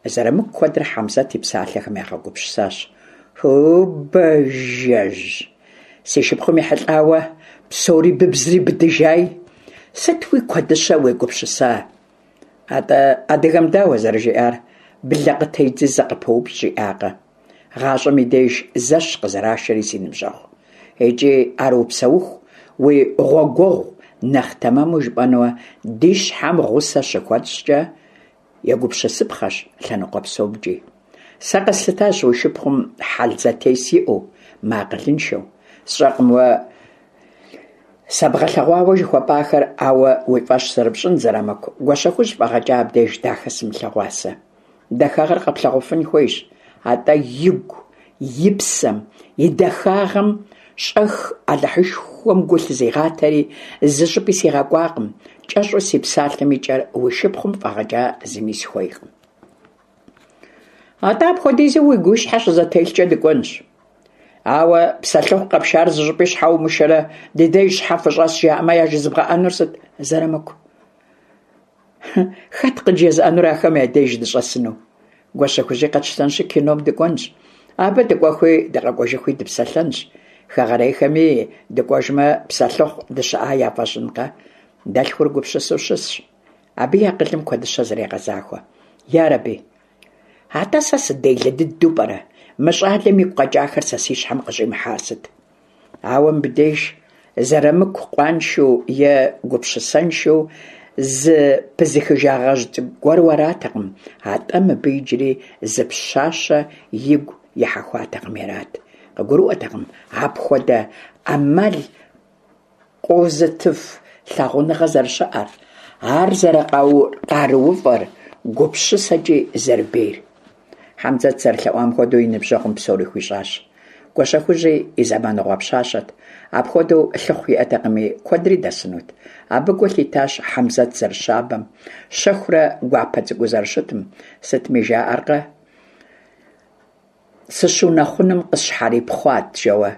Зэрамыку куэдрэ Хьэмзэт и псалъэхэм ягъэгупсысащ. «Ху, бажэжь, си шыпхъум ехьэлӀауэ псори быбзри быдыжай. Сыт уи куэдыщэ уегупсыса? АтӀэ адыгэм дауэ зэрыжиӀар? Блэ къытедзи зэ къыпыупщӀ жиӀакъэ? ГъащӀэм и деж зэщ къызэрашэри, си ныбжьэгъу. ИкӀи ар упсэуху уи гъуэгуэгъу, нэхъ тэмэму жыпӀэнумэ, ди щхьэм гъусэ щыхуэтщӀкӀэ егупсысыпхъэщ лъэныкъуэ псомкӀи. Сэ къэслъытащ уи шыпхъум хьэл зэтес иӀэу, мыакъылыншэу. СщӀэркъым уэ Сэбгъэлъэгъуауэ жыхуэпӀахэр ауэ уи фӀэщ зэрыпщӀын, Зэрамыку, Гуащэхужь фӀэгъэкӀа абдеж дахэ сымылъэгъуа сэ. Дахагъэр къэплъагъуфын хуейщ, атӀэ игу, и псэм и дахагъэм щӀэх Алыхьышхуэм гу лъызигъатэри, зыщӀыпӀи сигъэкӀуакъым. КӀэщӀу си псалъэм и кӀэр уи шыпхъум фӀэгъэкӀа зыми сыхуейкъым. АтӀэ апхуэдизу уигу уи щхьэ щызэтелъкӀэ дыкӀуэнщ. Ауэ псэлъыхъу къэпшар зыщӀыпӀи щхьэ умышэрэ, ди деж щхьэ фыщӀэс жаӀэмэ яжезыбгъэӀэнур сыт, Зэрамыку? Хэт къыджезыӀэнур ахэм я деж дыщӀэсыну? Гуащэхужьи къэтщтэнщи кином дыкӀуэнщ. Абы дыкӀуэхуи дыкъэкӀуэжыхуи дыпсэлъэнщ. Хэгъэрейхэми дыкӀуэжмэ, псэлъыхъу дыщыӀа яфӀэщӀынкъэ? Дэлъхур гупсысэу щысщ. Абы и акъылым куэдыщэ зэрегъэзахуэ. Ярэби, атӀэ сэ сыделэ дыдэу пӀэрэ? Мы щӀалэм игу къэкӀахэр сэ си щхьэм къыщӀимыхьар сыт? Ауэ мыбдеж Зэрамыку къуаншэу е гупсысэншэу зыпызыхыжагъэжь цӀыкӀу гуэру аратэкъым, атӀэ мыбы иджыри зы пщащэ игу ихьэхуатэкъыми арат. КъыгурыӀуэртэкъым апхуэдэ Ӏэмал къозытыф лъагъуныгъэ зэрыщыӀэр, ар зэрыкъарууфӀэр, гупсысэкӀи зэрыбейр. Хьэмзэт зэрылъэӀуам хуэдэу и ныбжьэгъум псори хуищӀащ. Гуащэхужьи и зэманыгъуэ пщащэт, апхуэдэу лъыхъу иӀэтэкъыми, куэдри дэсынут. Абы гу лъитащ Хьэмзэт зэрыщабэм, щэхурэ гуапэ цӀыкӀуу зэрыщытым. Сытми жаӀэркъэ, сыщунэхъуным къысщхьэрипхъуат жэуэ.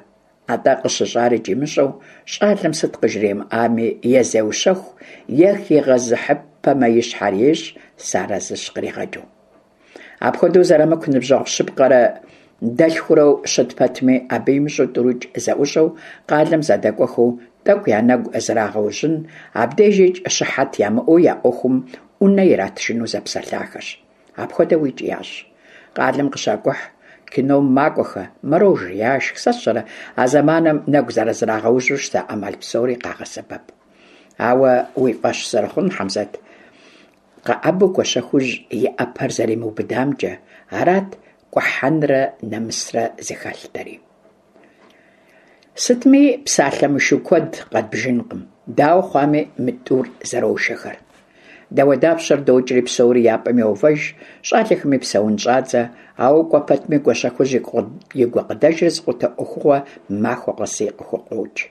АтӀэ къыщыщӀар икӀи имыщӀэу, щӀалэм сыт къыжримыӀами, е зеущэху, е хигъэзыхьыпэмэ и щхьэр ещӀ, сыарэзыщ къригъэкӀыу. Апхуэдэу Зэрамыку ныбжьэгъу щыпкъэрэ дэлъхурэу щыт пэтми, абы имыщӀэу тӀурикӀ зэӀущӀэу, къалэм зэдэкӀуэхэу, тӀэкӀу я нэгу зрагъэужьын, абдежикӀ щыхьэт ямыӀэу я Ӏуэхум Ӏунэ иратыжыну зэпсэлъахэщ. АпхуэдэуикӀ ящӀ. Къалэм къыщакӀухь, кином макӀуэхэ, мороженэ яшх, сэ сщӀэрэ, а зэманым нэгу зэрызрагъэужьу щыта Ӏэмал псори къагъэсэбэп. Ауэ уи фӀэщ зэрыхъун, Хьэмзэт къэӀэбэу Гуащэхужь и Ӏэпэр зэримыубыдамкӀэ, арат кӀухьэнрэ нэмысрэ зыхэлътэри. Сытми, псалъэ мышу куэд къэдбжынкъым. Дауэ хъуами, мы тӀур зэрошэхэр. Дауэдапщэр докӀри псори я пӀэм йоувэж, щӀалэхэми псэун щӀадзэ, ауэ кӀуэ пэтми Гуащэхужь и гукъыдэжыр зыкъутэ Ӏуэхугъуэ махуэ къэси къыхукъуокӀ.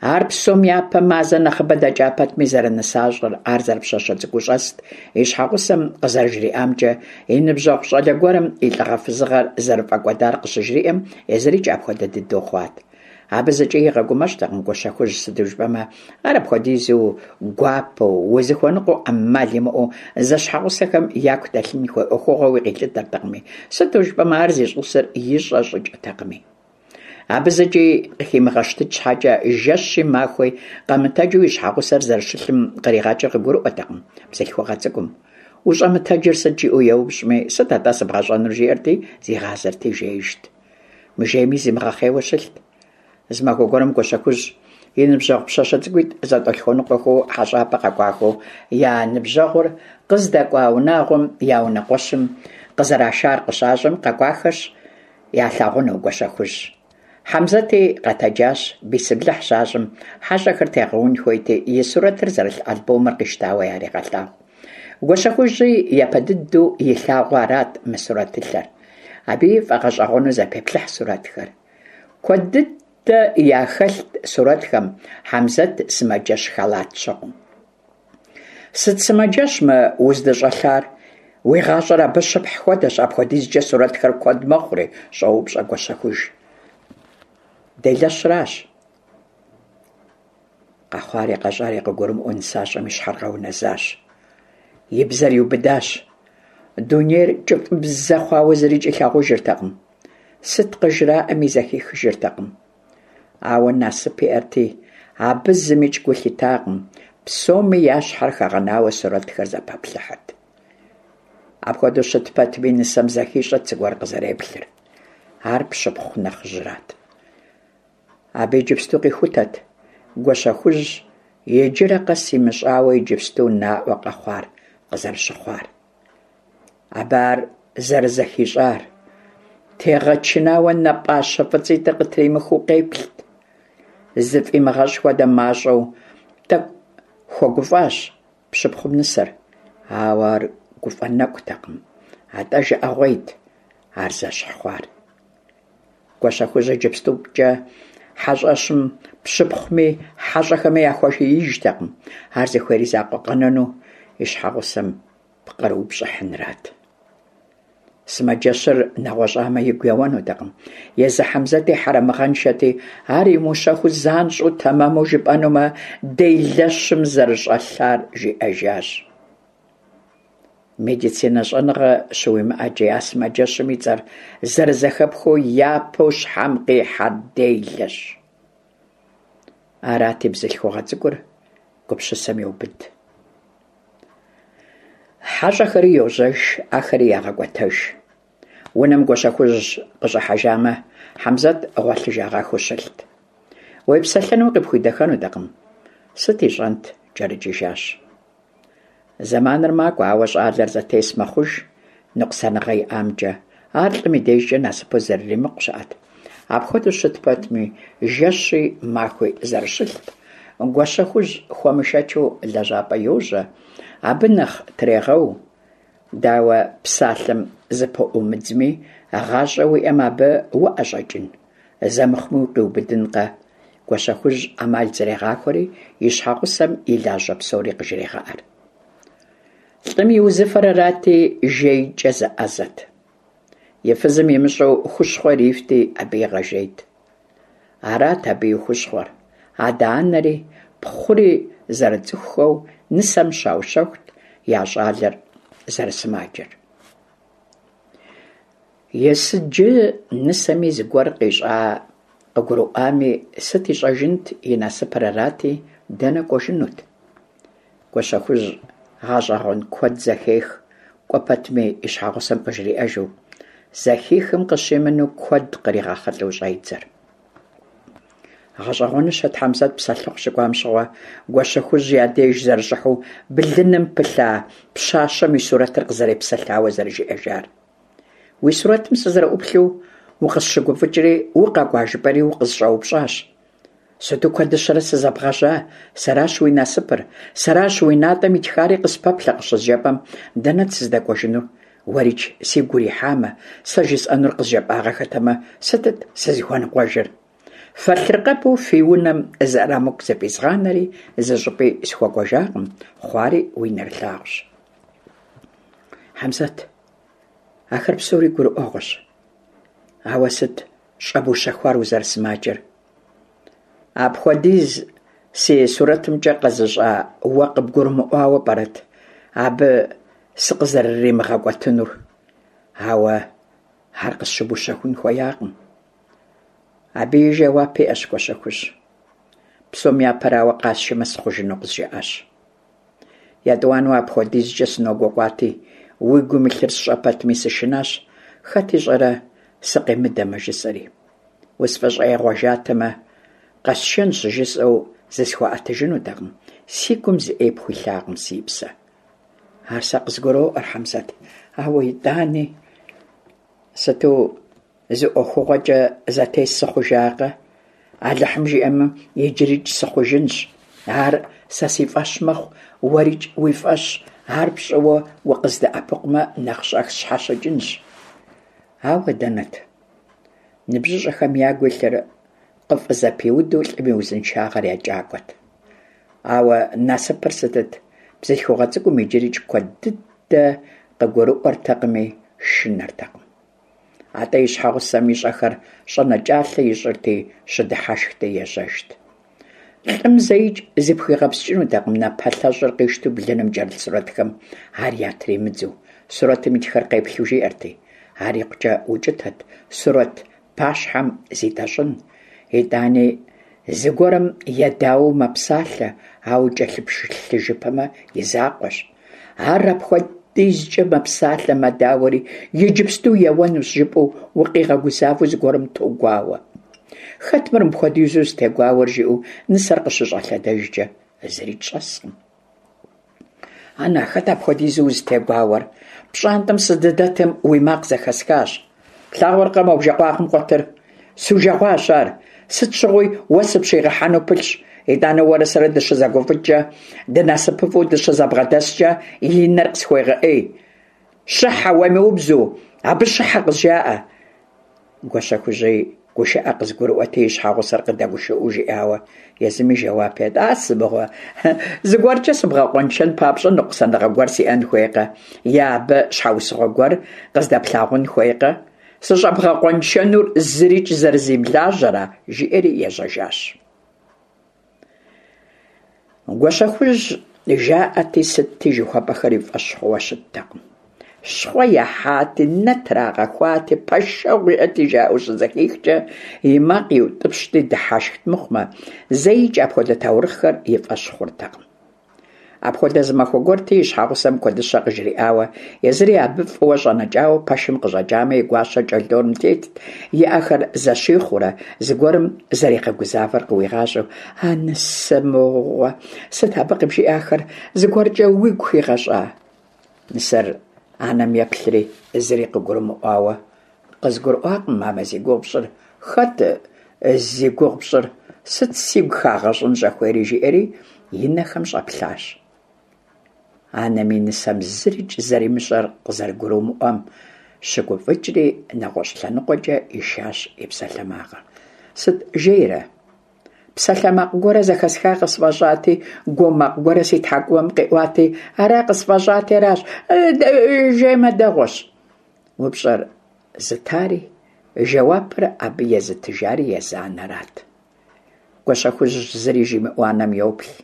Ар псом япэ мазэ нэхъыбэ дэкӀа пэтми зэрынысащӀэр, ар зэрыпщащэ цӀыкӀуу щӀэст, и щхьэгъусэм къызэрыжриӀамкӀэ, и ныбжьэгъу щӀалэ гуэрым и лӀыгъэ-фызыгъэр зэрыфӀэкӀуэдар къыщыжриӀэм, езырикӀ апхуэдэ дыдэу хъуат. Абы зыкӀи игъэгумэщӀтэкъым Гуащэхужь, сыту жыпӀэмэ, ар апхуэдизу гуапэу, узыхуэныкъуэу Ӏэмал имыӀэу зэщхьэгъусэхэм яку дэлъын хуей Ӏуэхугъуэуи къилъытэртэкъыми, сыту жыпӀэмэ ар зищӀысыр ищӀэ щӀыкӀэтэкъыми. Абы зыкӀи къыхимыгъэщтыкӀ щхьэкӀэ, жэщи махуи къэмытэджу и щхьэгъусэр зэрыщылъым къригъэкӀыр къыгурыӀуэртэкъым бзылъхугъэ цӀыкӀум. УщӀэмытэджыр сыт жиӀэу еупщӀми, сыт атӀэ сыбгъэщӀэнур жиӀэрти, зигъазэрти жеижт. Мыжейми зимыгъэхъейуэ щылът. Зы махуэ гуэрым Гуащэхужь и ныбжьэгъу пщащэ цӀыкӀуитӀ зэтӀолъхуэныкъуэхэу хьэщӀапӀэ къэкӀуахэу я ныбжьэгъур къыздэкӀуа унагъуэм я унэкъуэщым къызэрашар къыщащӀэм, къэкӀуахэщ ялъагъуну Гуащэхужь. Хьэмзэти къэтэджащ, бисымлыхь щащӀым, хьэщӀэхэр тегъэун хуейти, и сурэтыр зэрылъ альбомыр къищтауэ ярегъэлъагъу. Гуащэхужьи япэ дыдэу илъагъуу арат мы сурэтылъэр. Абыи фӀэгъэщӀэгъуэну зэпеплъыхь сурэтхэр. Куэд дыдэ яхэлът сурэтхэм Хьэмзэт сымаджэщ халат щыгъыу. Сыт сымаджэщ мы уздыщӀэлъар? Уи гъащӀэр абы щыпхь хуэдэщ, апхуэдизкӀэ сурэтхэр куэд мэхъури, щӀоупщӀэ Гуащэхужь. Делэщыращ. Къэхъуари къэщӀари къыгурымыӀуэу нысащӀэм и щхьэр къэунэзащ. И бзэр иубыдащ. Дунейр кӀыфӀыбзэ хъуауэ зырикӀ илъагъужыртэкъым. Сыт къыжраӀэми зэхихыжыртэкъым. Ауэ насып иӀэрти, абы зымикӀ гу лъитакъым, псоми я щхьэр хэгъэнауэ сурэтхэр зэпаплъыхьырт. Апхуэдэу щыт пэтми, нысэм зэхищӀэрт зыгуэр къызэреплъыр. Ар пщыпхъу нэхъыжьырат. Абы иджыпсту къихутэт Гуащэхужь иджырэ къэс имыщӀауэ иджыпсту наӀуэ къэхъуар къызэрыщыхъуар. Абы ар зэрызэхищӀар, тегъэчынауэ нэ пӀащэ фӀыцӀитӀыр къытримыхыу къеплът. зыфӏимыгъэщӏ хуэдэ мащӏэу тӏэкӏу хуэгуфӏащ пщыпхъум нысэр, ауэ ар гуфӏэ нэкӏутэкъым, атӏэ жыӏэгъуейт ар зэщхь хъуар. Гуащэхужь иджыпстукӏэ хьэщӏэщым пщыпхъуми хьэщӏэхэми яхуэшиижтэкъым, ар зыхуейр и закъуэ къэнэну и щхьэгъусэм пкърыупщӏыхьынрат. Сымаджэщыр нэгъуэщӏамэ игу еуэнутэкъым. Езы Хьэмзэти хьэрэмыгъэншэти, ар имыущэхуу занщӏэу тэмэму жыпӏэнумэ, делэщым зэрыщӏэлъар жиӏэжащ. Медицинэ щӏэныгъэ щыуимыӏэкӏи, а сымаджэщым и цӏэр зэрызэхэпхыу япэу щхьэм къихьэр делэщ. Арати, бзылъхугъэ цӏыкӏур гупсысэм еубыд. Хьэщӏэхэри йожьэж, ахэри ягъэкӏуэтэж. Унэм Гуащэхужь къыщӏыхьэжамэ, Хьэмзэт гъуэлъыжагъэххэу щылът. Уепсэлъэнуи къыпхуидэххэнутэкъым. Сыт ищӏэнт, кӏэрыкӏыжащ. Зэманыр макӏуэ, ауэ щӏалэр зэтес мэхъуж ныкъусаныгъэ иӏамкӏэ. Ар лӏым и дежкӏэ насыпу зэрыримыкъу щыӏэт. Апхуэдэу щыт пэтми, жэщи махуи зэрыщылът. Гуащэхужь хуэмышэчу лэжьапӏэ йожьэ, абы нэхъ трегъэу. Дауэ псалъэм зыпыӏуумыдзми, гъащӏэ уиӏэм абы уӏэщӏэкӏын? Зэ мыхъуми укъиубыдынкъэ? Гуащэхужь ӏэмал зэрегъахуэри и щхьэгъусэм и лажьэ псори къыжрегъэӏэр. Лӏым и узыфэр арати, жейкӏэ зэӏэзэт. И фызым имыщӏэу хущхъуэ ирифти, абы игъэжейт. Арат абы и хущхъуэр. Адэ-анэри, пхъури зэрыцӏыхухэу нысэм щаущэхут я щӏалэр зэрысымаджэр. Есыджы нысэми зыгуэр къищӏа къыгурыӏуами, сыт ищӏэжынт, и насыпыр арати, дэнэ кӏуэжынут? Гуащэхужь гъэщӏэгъуэн куэд зэхех, кӏуэ пэтми и щхьэгъусэм къыжриӏэжу. Зэхихым къыщымынэу куэд къригъэхъулӏэу щӏедзэр. Гъэщӏэгъуэныщэт Хьэмзэт псэлъыхъу щыкӏуам щыгъуэ Гуащэхужь я деж зэрыщӏыхьэу блыным пылъа пщащэм и сурэтыр къызэрепсэлъауэ зэрыжиӏэжар. Уи сурэтым сызэрыӏуплъэу укъысщыгуфӏыкӏри, укъэкӏуа жыпӏэри укъысщӏэупщӏащ. Сыту куэдыщэрэ сызэбгъэжьа, сэращ уи насыпыр, сэращ уи натӏэм итхари къыспэплъэ къыщызжепӏэм, дэнэт сыздэкӏуэжынур? Уэрикӏ сигу урихьамэ, сэ жысӏэнур къызжепӏагъэхэтэмэ, сытыт сызыхуэныкъуэжыр? Фэлъыркъэбу фи унэм зы ӏэрамыкӏу зыфӏизгъанэри зыщӏыпӏи схуэкӏуэжакъым, хъуари уи нэрылъагъущ. Хьэмзэт, ахэр псори гурыӏуэгъуэщ. Ауэ сыт щӏэбущэхуар узэрысымаджэр? Апхуэдиз си сурэтымкӏэ къэзыщӏа уэ къыбгурымыӏуауэ пӏэрэт абы сыкъызэрыримыгъэкӏуэтынур? Ауэ ар къысщыбущэхун хуеякъым. Абыи жэуап иӏэщ, Гуащэхужь. Псом япэрауэ, къасшэмэ сыхъужыну къызжаӏащ. Етӏуанэу апхуэдизкӏэ сыногуэкӏуати, уи гум илъыр сщӏэ пэтми сышынащ, хэт ищӏэрэ сыкъимыдэмэ, жысӏэри. Усфӏыщӏегъуэжатэмэ, къэсшэнщ жысӏэу зысхуэӏэтыжынутэкъым, си гум зы ӏей пхуилъакъым, си псэ. Ар сэ къызгуроӏуэр, Хьэмзэт, ауэ итӏани сыту зы ӏуэхугъуэкӏэ зэтес сыхъужакъэ? Алыхьым жиӏэмэ, иджырикӏ сыхъужынщ. Ар сэ си фӏэщ мэхъу, уэрикӏ уи фӏэщ, ар пщӏыуэ укъыздэӏэпыкъумэ, нэхъ щӏэх сщхьэщыкӏынщ. Ауэ дэнэт? Ныбжьыщӏэхэм ягу илъыр къыфӏызэпиуду лӏым и узыншагъэр екӏакӏуэт. Ауэ насыпыр сытыт, бзылъхугъэ цӏыкӏум иджырикӏ куэд дыдэ къыгурыӏуэртэкъыми, шынэртэкъым. Атӏэ и щхьэгъусэм ищӏэхэр щӏэнэкӏалъэ ищӏырти, щыдыхьэшхти ежьэжт. Лӏым зэикӏ зыпхуигъэпскӏынутэкъым напэлъэщӏыр къищтэу блыным кӏэрылъ сурэтхэм ар ятримыдзэу, сурэтым итхэр къеплъу жиӏэрти. Ар икъукӏэ укӏытэт сурэт пащхьэм зитӏэщӏын. Итӏани зыгуэрым едауэу мэпсалъэ, ауэ кӏэлъыплъыжыпэмэ и закъуэщ. Ар апхуэдизкӏэ мэпсалъэ, мэдауэри, иджыпсту еуэнущ жыпӏэу укъигъэгузавэу зыгуэрым тогуауэ. Хэт мыр мыпхуэдизу зытегуауэр жиӏэу нысэр къыщыщӏэлъэдэжкӏэ, зырикӏ щӏэскъым. Ана, хэт апхуэдизу узытегуауэр? Пщӏантӏэм сыздыдэтым уи макъ зэхэсхащ. Плъагъуркъэ мо бжэкъуагъым къуэтыр? Сужэгъуащ ар. сыт щыгъуи уэ сыпщигъэхьэну пылъщ. ИтӀанэ уэрэ сэрэ дыщызэгуфӀыкӀкӀэ, дынасыпыфӀэу дыщызэбгъэдэскӀэ и нэр къысхуегъэӀей. Щыхьэ, уемыубзэу, абы щыхьэ къызжаӀэ. Гуащэхужьи гушыӀэ къызыгурыӀуэти, и щхьэгъусэр къыдэгушыӀэу жиӀауэ, езыми жэуап ет: «А сымыгъуэ, зыгуэркӀэ сыбгъэкъуэншэн папщӀэ ныкъусаныгъэ гуэр сиӀэн хуейкъэ? Е абы щхьэусыгъуэ гуэр къыздэплъагъун хуейкъэ? СыщӀэбгъэкъуэншэнур зырикӀ зэрызимылажьэра?» жиӀэри ежьэжащ. Гуащэхужь жаӀэти сытти жыхуэпӀэхэр и фӀэщ хъууэ щыттэкъым. Щхъуэ яхьати, нэ трагъэхуати, пэшэгъу иӀэти жаӀэу щызэхихкӀэ, и макъ иутӀыпщти дыхьэшхт мыхъумэ, зэикӀ апхуэдэ таурыхъхэр и фӀэщ хъуртэкъым. Апхуэдэ зы махуэ гуэрти, и щхьэгъусэм куэдыщэ къыжриӀауэ, езыри абы фӀыуэ щӀэнэкӀауэ пэшым къыщӀэкӀамэ, и гуащэр кӀэлъдорым тетт, и Ӏэхэр зэщихъуурэ, зыгуэрым зэригъэгузавэр къыуигъащӀэу. «А нысэ мыгъуэ, сыт абы къыбжиӀахэр? ЗыгуэркӀэ уигу хигъэщӀа?» Нысэр анэм еплъри, зыри къыгурымыӀуауэ: «КъызгурыӀуакъым, мамэ, зи гугъу пщӀыр. Хэт зи гугъу пщӀыр? Сыт сигу хагъэщӀын щӀыхуейри?» жиӀэри и нэхэм щӀэплъащ. Анэми нысэм зырикӀ зэримыщӀэр къызэрыгурымыӀуэм щыгуфӀыкӀри, нэгъуэщӀ лъэныкъуэкӀэ ишащ и псалъэмакъыр. «Сыт, жейрэ? Псалъэмакъ гуэрэ зэхэсха къысфӀэщӀати, гуо макъ гуэрэ си тхьэкӀумэм къиӀуати, ара къысфӀэщӀати аращ. Жеймэ дэгъуэщ». УпщӀэр зытари, жэуапыр абы езытыжари езы анэрат. Гуащэхужь зыри жимыӀэу анэм йоплъ.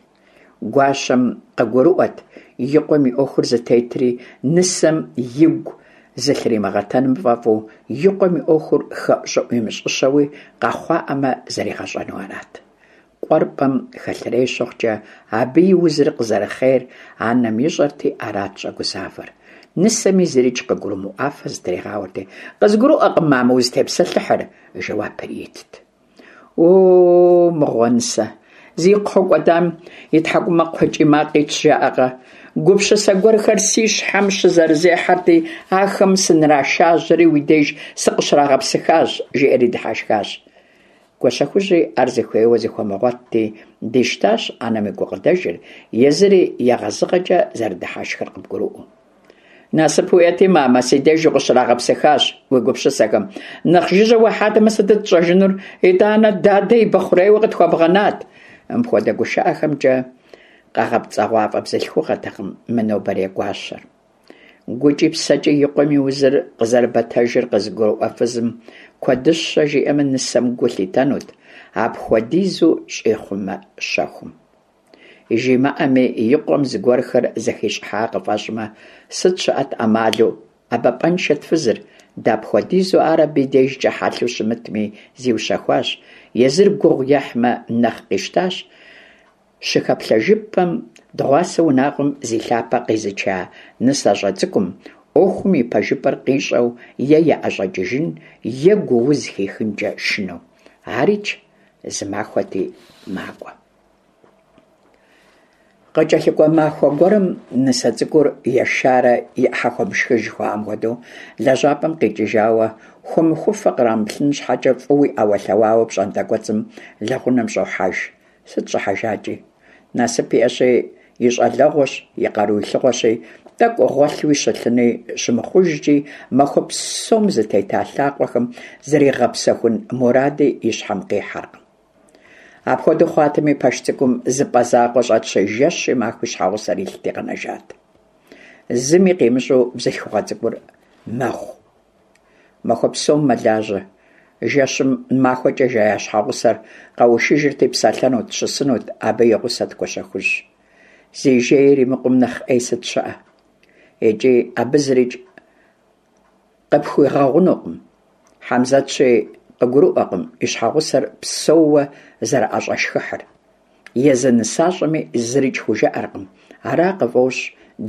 Гуащэм къыгурыӀуэт и къуэм и Ӏуэхур зытетри, нысэм игу зылъримыгъэтэным фӀэфӀу, и къуэм и Ӏуэхур хэӀущӀыӀу имыщӀыщэуи къэхъуаӀэмэ зэригъэщӀэну арат. Къуэр пӀэм хэлъырей щыхъукӀэ, абы и узыр къызэрыхъейр анэм ищӀэрти, арат щӀэгузавэр. Нысэми зырикӀ къыгурымыӀуафэ зытригъауэрти, «КъызгурыӀуэкъым, мамэ, узытепсэлъыхьыр», жэуапыр итт. «О, мыгъуэ, нысэ, зи кхъуэ кӀуэдам и тхьэкӀумэ кхъуэкӀий макъ итщ, жаӀэкъэ? Гупсысэ гуэрхэр си щхьэм щызэрызехьэрти, ахэм сынрашажьэри уи деж сыкъыщрагъэпсыхащ», жиӀэри дыхьэшхащ. Гуащэхужьи ар зыхуейуэ зыхуэмыгъуэтти, дищтащ анэм и гукъыдэжыр, езыри егъэзыгъэкӀэ зэрыдыхьэшхыр къыбгурыӀуэу. «Насып уиӀэти, мамэ, си деж укъыщрагъэпсыхащ уи гупсысэхэм. Нэхъ жыжьэ уахьатэмэ, сытыт тщӀэжынур? ИтӀанэ дадэ и бэхъурейуэ къытхуэбгъэнат». Мыпхуэдэ гушыӀэхэмкӀэ къэгъэпцӀэгъуафӀэ бзылъхугъэтэкъым мы нобэрей гуащэр. ГукӀи псэкӀи и къуэм и узыр къызэрыбэтэжыр къызыгурыӀуэ фызым куэдыщэ жиӀэмэ, нысэм гу лъитэнут, апхуэдизу щӀихъумэ щэхум. ЖимыӀэми, и къуэм зыгуэрхэр зэхищӀыхьа къыфӀэщӀмэ, сыт щыӀэт Ӏэмалу, ӀэбэпӀэншэт фызыр, дапхуэдизу ар абы и дежкӀэ хьэлъэу щымытми, зиущэхуащ, езыр гугъу ехьмэ нэхъ къищтащ. Щыхэплъэжыпэм, дыгъуасэ унагъуэм зи лъапэ къизыча нысащӀэ цӀыкӀум Ӏуэхум и пэжыпӀэр къищӀэу е яӀэщӀэкӀыжын, е гууз хихынкӀэ шынэу. АрикӀ зы махуэти макӀуэ. КъыкӀэлъыкӀуэ махуэ гуэрым нысэ цӀыкӀур ешарэ и Ӏыхьэ хуэмышхыж жыхуаӀэм хуэдэу лэжьапӀэм къикӀыжауэ, хуэмыхуфэ кърамыплъын щхьэкӀэ фӀыуи Ӏэуэлъэуауэ пщӀантӀэ кӀуэцӀым лэгъунэм щӀохьэж. Сыт щӀыхьэжакӀи? Насып иӀэщи, и щӀалэгъуэщ, и къару илъыгъуэщи, тӀэкӀу гъуэлъуи щылъыни щымыхъужкӀи, махуэ псом зытета лъакъуэхэм зригъэпсэхун муради и щхьэм къихьэркъым. Апхуэдэу хъуатэми, пэш цӀыкӀум зы пӀэ закъуэ щӀэтщи, жэщи махуи щхьэгъусэр илъти къэнэжат. Зыми къимыщӀэу бзылъхугъэ цӀыкӀур мэгъу. Махуэ псом мэлажьэ. Жэщым махуэкӀэ жея щхьэгъусэр къэушыжырти псэлъэнут, щысынут, абы и гъусэт Гуащэхужь. Зи жейр имыкъум нэхъ Ӏей сыт щыӀэ? ИкӀи абы зырикӀ къыпхуигъэгъунукъым. Хьэмзэтщи къыгурыӀуэкъым и щхьэгъусэр псэууэ зэрыӀэщӀэшхыхьыр. Езы нысащӀэми зырикӀ хужыӀэркъым. Ара къыфӀощӀ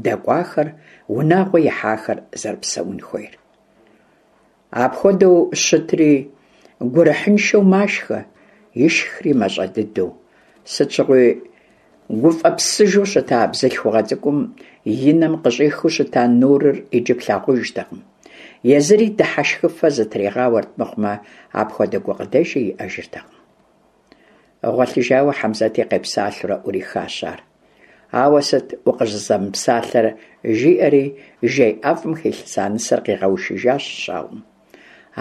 дэкӀуахэр, унагъуэ ихьахэр зэрыпсэун хуейр. Апхуэдэу щытри гурыхьыншэу машхэ, ишхри мащӀэ дыдэу. Сыт щыгъуи гуфӀэпсыжу щыта бзылъхугъэ цӀыкӀум и нэм къыщӀихыу щыта нурыр иджы плъагъужтэкъым. Езыри дыхьэшхыфэ зытригъауэрт мыхъумэ, апхуэдэ гукъыдэжи иӀэжыртэкъым. Гъуэлъыжауэ Хьэмзэти къепсалъэурэ Ӏурихащ ар. Ауэ сыт укъыщӀызэмыпсалъэр, жиӀэри жей ӀэфӀым хилъэса нысэр къигъэушыжащ щауэм.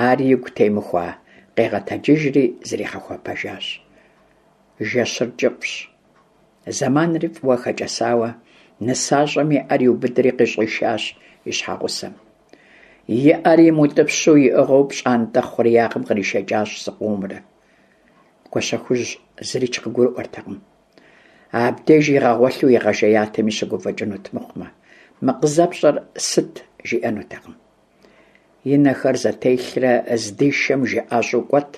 Ар игу темыхуа, къигъэтэджыжри зригъэхуэпэжащ. Жэщыр кӀыфӀщ, зэманри фӀыуэ хэкӀэсауэ, нысащӀэм и Ӏэр иубыдри къыщӀишащ и щхьэгъусэм. И Ӏэр имыутӀыпщу иӀыгъыу пщӀантӀэ хъуреягъым къришэкӀащ зыкъомрэ. Гуащэхужь зырикӀ къыгурыӀуэртэкъым. Абдеж игъэгъуэлъу игъэжеятэми щыгуфӀыкӀынут мыхъумэ, мы къызэпщӀэр сыт жиӀэнутэкъым. И нэхэр зэтелърэ здишэм жыӀэщӀэу кӀуэт.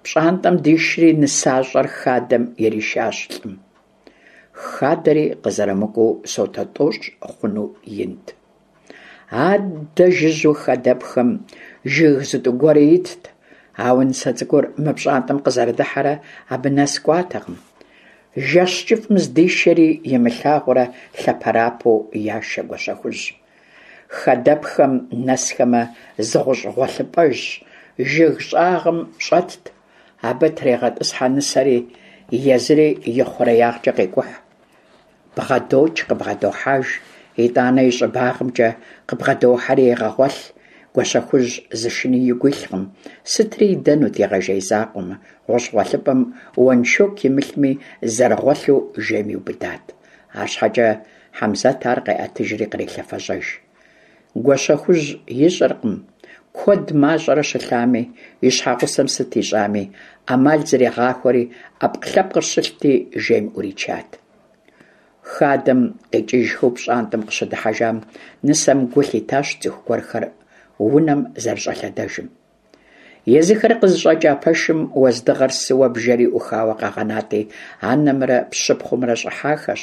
ПщӀантӀэм дишри нысащӀэр хадэм иришащ лӀым. Хадэри къызэрымыкӀуэу сотэ тӀощӀ хъуну инт. Аддэ жыжьэу хадэпхэм жыг зытӀу гуэри итт, ауэ нысэ цӀыкӀур мы пщӀантӀэм къызэрыдыхьэрэ абы нэс кӀуатэкъым. Жэщ кӀыфӀым здишэри имылъагъурэ лъэпэрапэу яшэ Гуащэхужь. Хадэпхэм нэсхэмэ, зы гъущӀ гъуэлъыпӀэжь жыг щӀагъым щӀэтт, абы трегъэтӀысхьэ нысэри, езыри ихъуреягъкӀэ къекӀухь. БгъэдокӀ, къыбгъэдохьэж, итӀанэ и щӀыбагъымкӀэ къыбгъэдохьэри егъэгъуэлъ. Гуащэхужь зы шыни игу илъкъым, сытри идэнут игъэжей закъуэмэ, гъущӀ гъуэлъыпӀэм уэншоку имылъми, зэрыгъуэлъу жейм иубыдат. АрщхьэкӀэ Хьэмзэт ар къеӀэтыжри кърелъэфэжьэж. Гуащэхужь ищӀэркъым куэд мащӀэрэ щылъами, и щхьэгъусэм сыт ищӀами, Ӏэмал зэригъахуэри, Ӏэпкълъэпкъыр щылъти, жейм Ӏуричат. Хадэм къикӀыжхэу пщӀантӀэм къыщыдыхьэжам, нысэм гу лъитащ цӀыху гуэрхэр унэм зэрыщӀэлъэдэжым. Езыхэр къызыщӀэкӀа пэшым уэздыгъэр сыуэ бжэри Ӏухауэ къагъэнати, анэмрэ пщыпхъумрэ щӀыхьахэщ,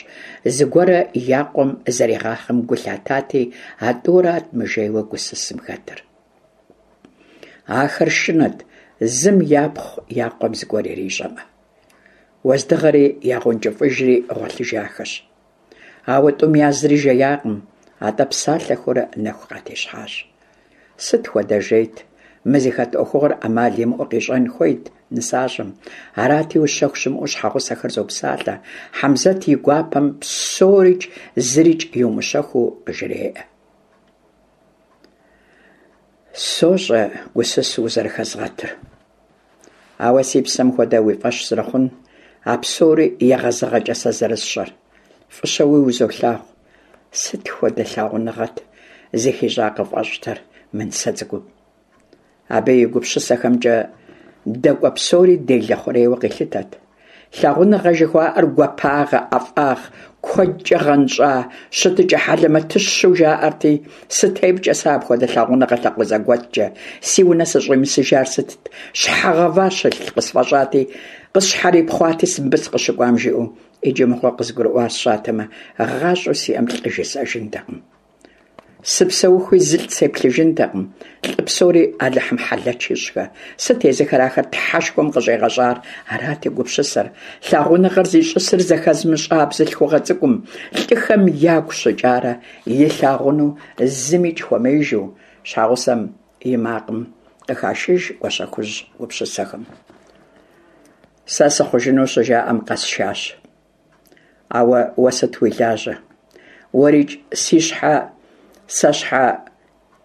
зыгуэрэ я къуэм зэригъахъэм гу лъатати, а тӀурат мыжейуэ гусысым хэтыр. Ахэр шынэт, зым япхъу я къуэм зыгуэр ирищӀэмэ. Уэздыгъэри ягъэункӀыфӀыжри гъуэлъыжахэщ. Ауэ тӀум язри жеякъым, атӀэ псалъэхэурэ нэху къатещхьащ. Сыт хуэдэ жейт, мы зыхэт Ӏуэхугъуэр Ӏэмал имыӀэу къищӀэн хуейт нысащӀэм. Арати, ущэху щымыӀэу щхьэгъусэхэр зопсалъэ. Хьэмзэт и гуапэм псорикӀ зырикӀ иумыщэхуу къыжреӀэ. СощӀэ гусысу узэрыхэзгъэтыр. Ауэ си псэм хуэдэ уи фӀэщ зэрыхъун, а псори егъэзыгъэкӀэ сэ зэрысщӀэр. ФӀыщэуи узолъагъу. Сыт хуэдэ лъагъуныгъэт зыхищӀа къыфӀэщӀтэр мы нысэ цӀыкӀум. Абы и гупсысэхэмкӀэ дэкӀуэ псори делэ хъурейуэ къилъытэт. Лъагъуныгъэ жыхуаӀэр гуапагъэ, ӀэфӀагъ куэдкӀэ гъэнщӀа щытыкӀэ хьэлэмэтыщэу жаӀэрти, сытепкӀэ сэ апхуэдэ лъагъуныгъэ лъакъуэ зэгуэткӀэ, си унэ сыщӀимысыжар сытт, щхьэ гъэва щылъ къысфӀэщӀати, къысщхьэрипхъуати мыбы сыкъыщыкӀуам жиӀэу, иджы мыгъуэ къызгурыӀуар сщӀатэмэ, гъащӀэу сиӀэм лӀы жысӀэжынтэкъым. Сыпсэухуи зылӀ сеплъыжынтэкъым, лӀы псори Алыхьым хьэлэч ищӀхэ, сыт езыхэр ахэр Тхьэшхуэм къыщӀигъэщӀар, арат и гупсысэр. Лъагъуныгъэр зищӀысыр зэхэзымыщӀа бзылъхугъэ цӀыкӀум лӀыхэм ягу щыкӀарэ илъагъуну зымикӀ хуэмеижу, щхьэгъусэм и макъым къыхашыж Гуащэхужь гупсысэхэм. Сэ сыхъужыну щыжаӀэм къэсшащ. Ауэ уэ сыт уи лажьэ? УэрикӀ си щхьэ сэ щхьэ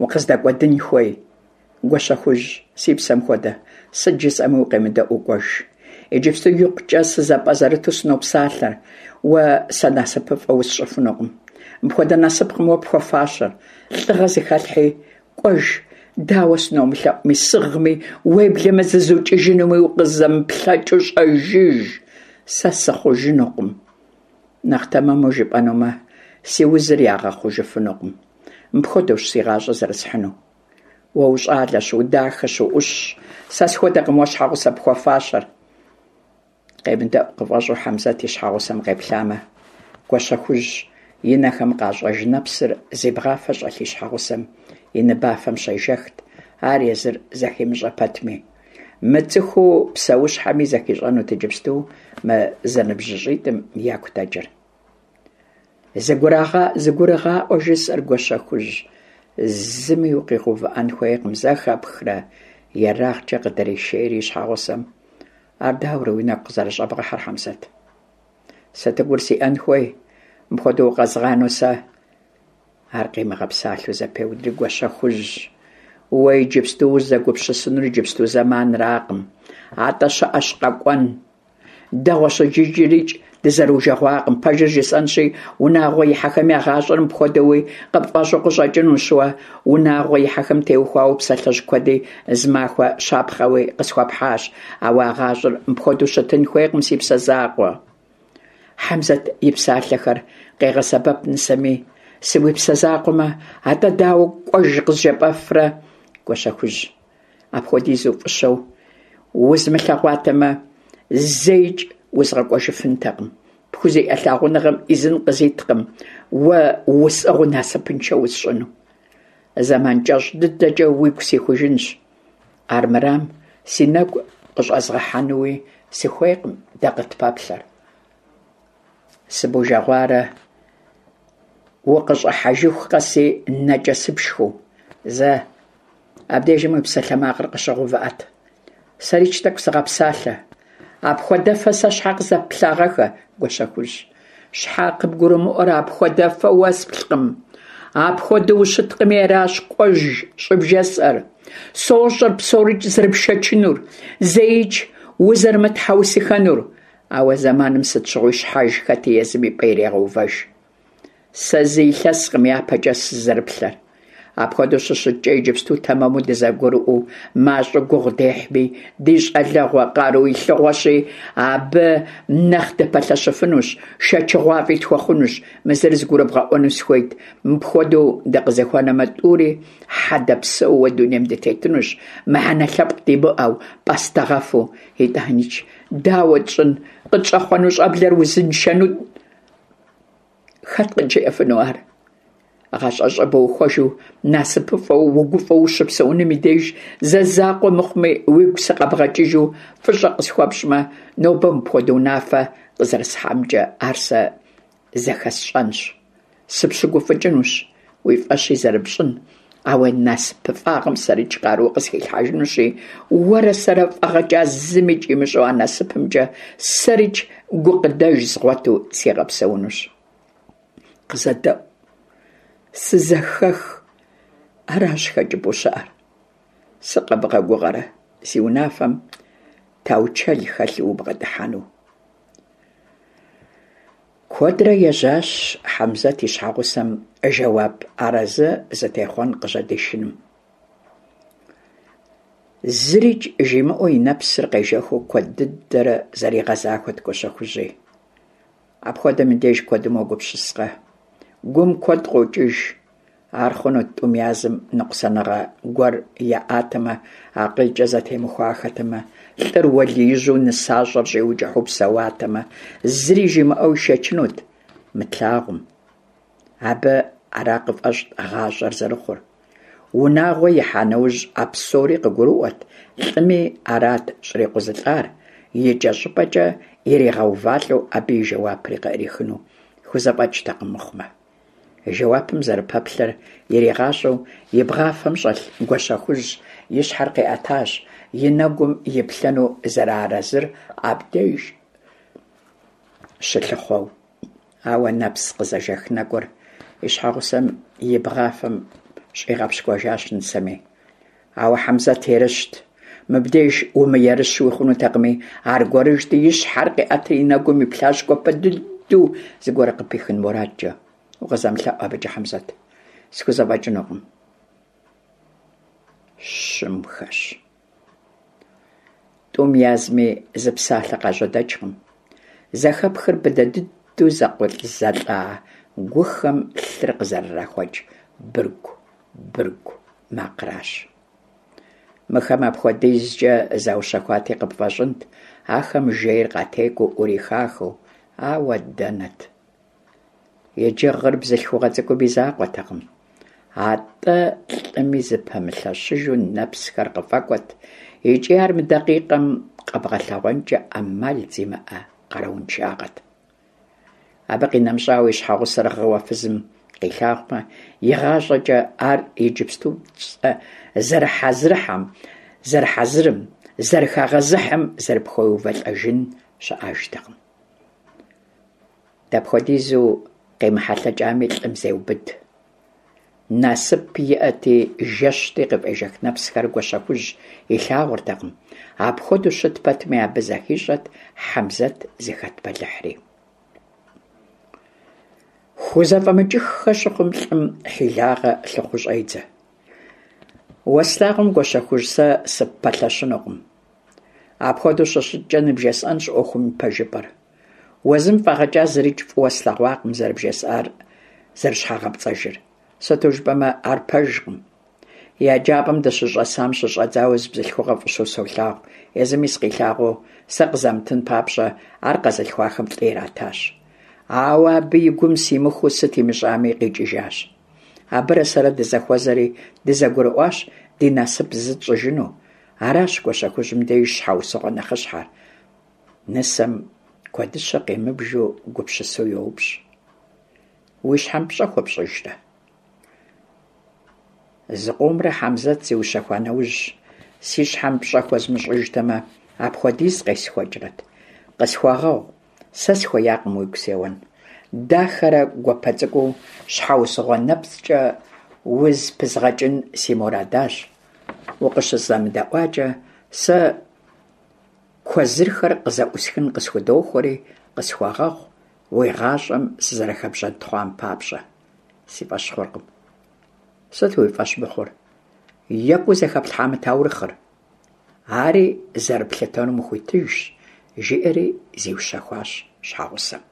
укъыздэкӀуэдын хуей? Гуащэхужь, си псэм хуэдэ, сыт жысӀэми укъемыдэӀуу кӀуэж. Иджыпсту икъукӀэ сызэпӀэзэрыту сынопсалъэр. Уэ сэ насыпыфӀэ усщӀыфынукъым. Мыпхуэдэ насыпкъым уэ пхуэфащэр. ЛӀыгъэ зыхэлъхьи, кӀуэж, дауэ сыномылъэӀуми, сыгъми, уеблэмэ зызукӀыжынуми укъызэмыплъэкӀыу щӀэжыж. Сэ сыхъужынукъым. Нэхъ тэмэму жыпӀэнумэ, си узыр ягъэхъужыфынукъым. Мыпхуэдэущ си гъащӀэр зэрысхьыну. Уэ ущӀалэщ, удахэщ, уӀущщ. Сэ схуэдэкъым уэ щхьэгъусэ пхуэфащэр. КъемыдэӀу къыфӀэщӀу Хьэмзэт и щхьэгъусэм къеплъамэ, Гуащэхужь и нэхэм къащӀэж нэпсыр зи бгъафэ щӀэлъ и щхьэгъусэм и ныбафэм щежэхт, ар езыр зэхимыщӀэ пэтми. МыцӀыхуу псэущхьэми зэхищӀэнут иджыпсту мы зэныбжьыщӀитӀым яку дэкӀыр. ЗыгурыгъаӀуэ жысӀэр, Гуащэхужь, зыми укъигъэувыӀэн хуейкъым, зэхэпхрэ? ЕрагъкӀэ къыдришейри и щхьэгъусэм. Ар дауэрэ уи нэгу къызэрыщӏэбгъэхьэр, Хьэмзэт? Сытыгур сиӏэн хуей, мыпхуэдэу укъэзгъанэу сэ? Ар къимыгъэпсалъэу зэпеудри, Гуащэхужь, уэ иджыпсту узэгупсысынур иджыпсту зэманракъым, атӏэ щыӏэщ къэкӏуэн. Дэгъуэщ иджырикӏ дызэрыужэгъуакъым. Пэжыр жысӏэнщи, унагъуэ ихьэхэм я гъащӏэр мыпхуэдэуи къыпфӏэщӏу къыщӏэкӏынущ уэ. Унагъуэ ихьэхэм теухуауэ псалъэжь куэди зымахуэ щапхъэуи къысхуэпхьащ. Ауэ а гъащӏэр мыпхуэдэу щытын хуейкъым, си псэ закъуэ. Хьэмзэт и псалъэхэр къегъэсэбэп нысэми, сыуипсэ закъуэмэ, атӏэ дауэ кӏуэж къызжепӏэфрэ, Гуащэхужь? Апхуэдизу фӏыщэу узмылъэгъуатэмэ, зэикӏ узгъэкӏуэжыфынтэкъым. Пхузиӏэ лъагъуныгъэм ӏизын къызиткъым уэ усӏыгъыу насыпыншэ усщӏыну. Зэман кӏэщӏ дыдэкӏэ уигу сихужынщ. Армырам си нэгу къыщӏэзгъэхьэнуи сыхуейкъым дэ къытпэплъэр. Сыбужэгъуарэ укъыщӏыхьэжыху къэси нэкӏэ сыпшхыу. Зэ, абдежым уи псалъэмакъыр къыщыгъэувыӏэт. Сэрикӏ тӏэкӏу сыгъэпсалъэ. Апхуэдэфэ сэ щхьэ къызэпплъагъэххэ, Гуащэхужь? Щхьэ къыбгурымыӏуэрэ апхуэдэфэ уэсплъкъым? Апхуэдэу ущыткъыми аращ кӏуэж щӏыбжесӏэр. Сощӏэр псорикӏ зэрыпшэчынур, зэикӏ узэрымытхьэусыхэнур. Ауэ зэманым сыт щыгъуи щхьэж хэти езым и пӏэ ирегъэувэж. Сэ зы илъэскъым япэкӏэ сызэрыплъэр. Апхуэдэу щыщыткӏэ иджыпсту тэмэму дызэгурыӏуэу мащӏэу гугъу дехьми, ди щӏалэгъуэ къару илъыгъуэщи, абы нэхъ дыпэлъэщыфынущ, шэчыгъуафӏи тхуэхъунущ. Мы зыр зыгурыбгъэӏуэну сыхуейт. Мыпхуэдэу дыкъызэхуэнэмэ, тӏури хьэдэ псэууэ дунейм дытетынущ, мыхьэнэ лъэпкъ димыӏэу, пӏастэгъэфу. Итӏаникӏ, дауэ тщӏын, къытщӏэхъуэну щӏэблэр узыншэну хэт къыджиӏэфыну ар? ГъащӀэщӀэ быухуэжу, насыпыфӀэу, угуфӀэу ущыпсэунум и деж зэ закъуэ мыхъуми уигу сыкъэбгъэкӀыжу фӀыщӀэ къысхуэпщӀмэ, нобэ мыпхуэдэ унафэ къызэрысхьамкӀэ ар сэ зэхэсщӀэнщ. СыпщыгуфӀыкӀынущ, уи фӀэщи зэрыпщӀын, а уи насыпыфӀагъэм сэрикӀ къару къысхилъхьэжынущи, уэрэ сэрэ фӀэгъэкӀа зымикӀ имыщӀэу а насыпымкӀэ сэрикӀ гукъыдэж згъуэту сигъэпсэунущ. КъызэдэӀу, сызэхэх, аращ хэкӀыпӀэу щыӀэр. Сыкъэбгъэгугъэрэ си унафэм таучэл хэлъу убгъэдыхьэну? Куэдрэ ежьащ Хьэмзэт и щхьэгъусэм жэуап арэзы зытехъуэн къыжьэдишыным. Зырикӏ жимыӏэу и нэпсыр къежэхыу куэд дыдэрэ зэригъэзахуэт Гуащэхужьи. Апхуэдэм и деж куэдым уегупсыскъэ? Гум куэд къокӏыж. Ар хъунут тӏум язым ныкъусаныгъэ гуэр яӏатэмэ, акъылкӏэ зэтемыхуахэтэмэ, лӏыр уэлиижьу нысащӏэр щӏиукӏыхьу псэуатэмэ, зыри жимыӏэу ишэчынут мы тлъагъум. Абы ара къыфӏэщӏт гъащӏэр зэрыхъур. Унагъуэ ихьа нэужь а псори къыгурыӏуэт, лӏыми арат щӏрикъузылӏар, икӏэщӏыпӏэкӏэ иригъэувалӏэу абы и жэуапри къыӏрихыну хузэфӏэкӏтэкъым мыхъумэ. Жэуапым зэрыпэплъэр иригъащӏэу и бгъафэм щӏэлъ Гуащэхужь и щхьэр къиӏэтащ, и нэгум иплъэну зэрыарэзыр абдеж щылъыхъуэу. Ауэ нэпс къызэжэх нэкӏур и щхьэгъусэм и бгъафэм щӏигъэпщкӏуэжащ нысэми. Ауэ Хьэмзэт ерыщт. Мыбдеж умыерыщуи хъунутэкъыми, аргуэрыжьти и щхьэр къиӏэтри и нэгум иплъащ гуапэ дыдэу зыгуэр къыпихын мурадкӏэ. Укъызэмылъэӏу абыкӏэ, Хьэмзэт. Схузэфӏэкӏынукъым. Щымхэщ. Тӏум язми зы псалъэ къажьэдэкӏкъым. Зэхэпхыр быдэ дыдэу зэкъузылӏа гухэм лъыр къызэрырахуэкӏ быргу, быргу макъращ. Мыхэм апхуэдизкӏэ заущэхуати къыпфӏэщӏынт, ахэм жейр къатекӏуэу ӏурихахэу, ауэ дэнэт. Иджы гъыр бзылъхугъэ цӏыкӏум и закъуэтэкъым, атӏэ лӏыми зыпэмылъэщыжу нэпсхэр къыфӏэкӏуэт, икӏи ар мы дакъикъэм къэбгъэлъэгъуэнкӏэ ӏэмал зимыӏэ къарууншагъэт. Абы къинэмыщӏауэ и щхьэгъусэр гъыуэ фызым къилъагъумэ, игъащӏэкӏэ ар иджыпсту зэрыхьэзырхьэм, зэрыхьэзырым, Зэрыхагъэзыхьым зэрыпхуеувэлӀэжын щыӀэжтэкъым. Дапхуэдизу къемыхьэлъэкӀами, лӀым зеубыд. Насып иӀэти, жэщти, къыфӀежэх нэпсхэр Гуащэхужь илъагъуртэкъым. Апхуэдэу щыт пэтми, абы зыхищӀэрт Хьэмзэт зыхэт бэлыхьри. ХузэфӀэмыкӀыххэ щыхъум, лӀым хьилагъэ лъыхъуу щӀедзэ. Уэ слъагъум, Гуащэхужь, сэ сыппэлъэщынукъым. Апхуэдэу щыщыткӀэ, ныбжесӀэнщ Ӏуэхум и пэжыпӀэр. Уэ зым фӀэгъэкӀа зырикӀ фӀыуэ слъэгъуакъым зэрыбжесӀар зэрыщхьэгъэпцӀэжыр. Сыту жыпӀэмэ, ар пэжкъым. ЕджапӀэм дыщыщӀэсам щыщӀэдзауэ зы бзылъхугъэ фӀыщэу солъагъу, езыми сыкъилъагъуу сэ къызамытын папщӀэ, ар къэзылъхуахэм лӀы иратащ. Ауэ абы и гум симыхуу сыт имыщӀами, къикӀыжащ. Абырэ сэрэ дызэхуэзэри дызэгурыӀуащ ди насып зы тщӀыжыну. Аращ Гуащэхужьым деж щхьэусыгъуэ нэхъыщхьэр. Нысэм куэдыщэ къимыбжу гупсысэу йоупщӀ: Уи щхьэм пщӀэ хуэпщӀыжрэ? Зыкъомрэ Хьэмзэт зиущэхуа нэужь, си щхьэм пщӀэ хуэзмыщӀыжтэмэ, апхуэдиз къесхуэкӀрэт? Къысхуэгъэгъу, сэ сыхуеякъым уигу сеуэн. Дахэрэ гуапэ цӀыкӀуу щхьэусыгъуэ нэпцӀкӀэ узыпызгъэкӀын си мурадащ. УкъыщызэмыдэӀуакӀэ, сэ куэзырхэр къызэӀусхын къысхудохуэри, къысхуэгъэгъу уи гъащӀэм сызэрыхэбжьэнтхъуам папщӀэ. Си фӀэщ хъуркъым. Сыт уи фӀэщ мыхъур? ЕкӀуу зэхэплъхьа мы таурыхъыр? Ари зэрыплъытэнум ухуитыжщ, – жиӀэри зиущэхуащ щхьэгъусэм.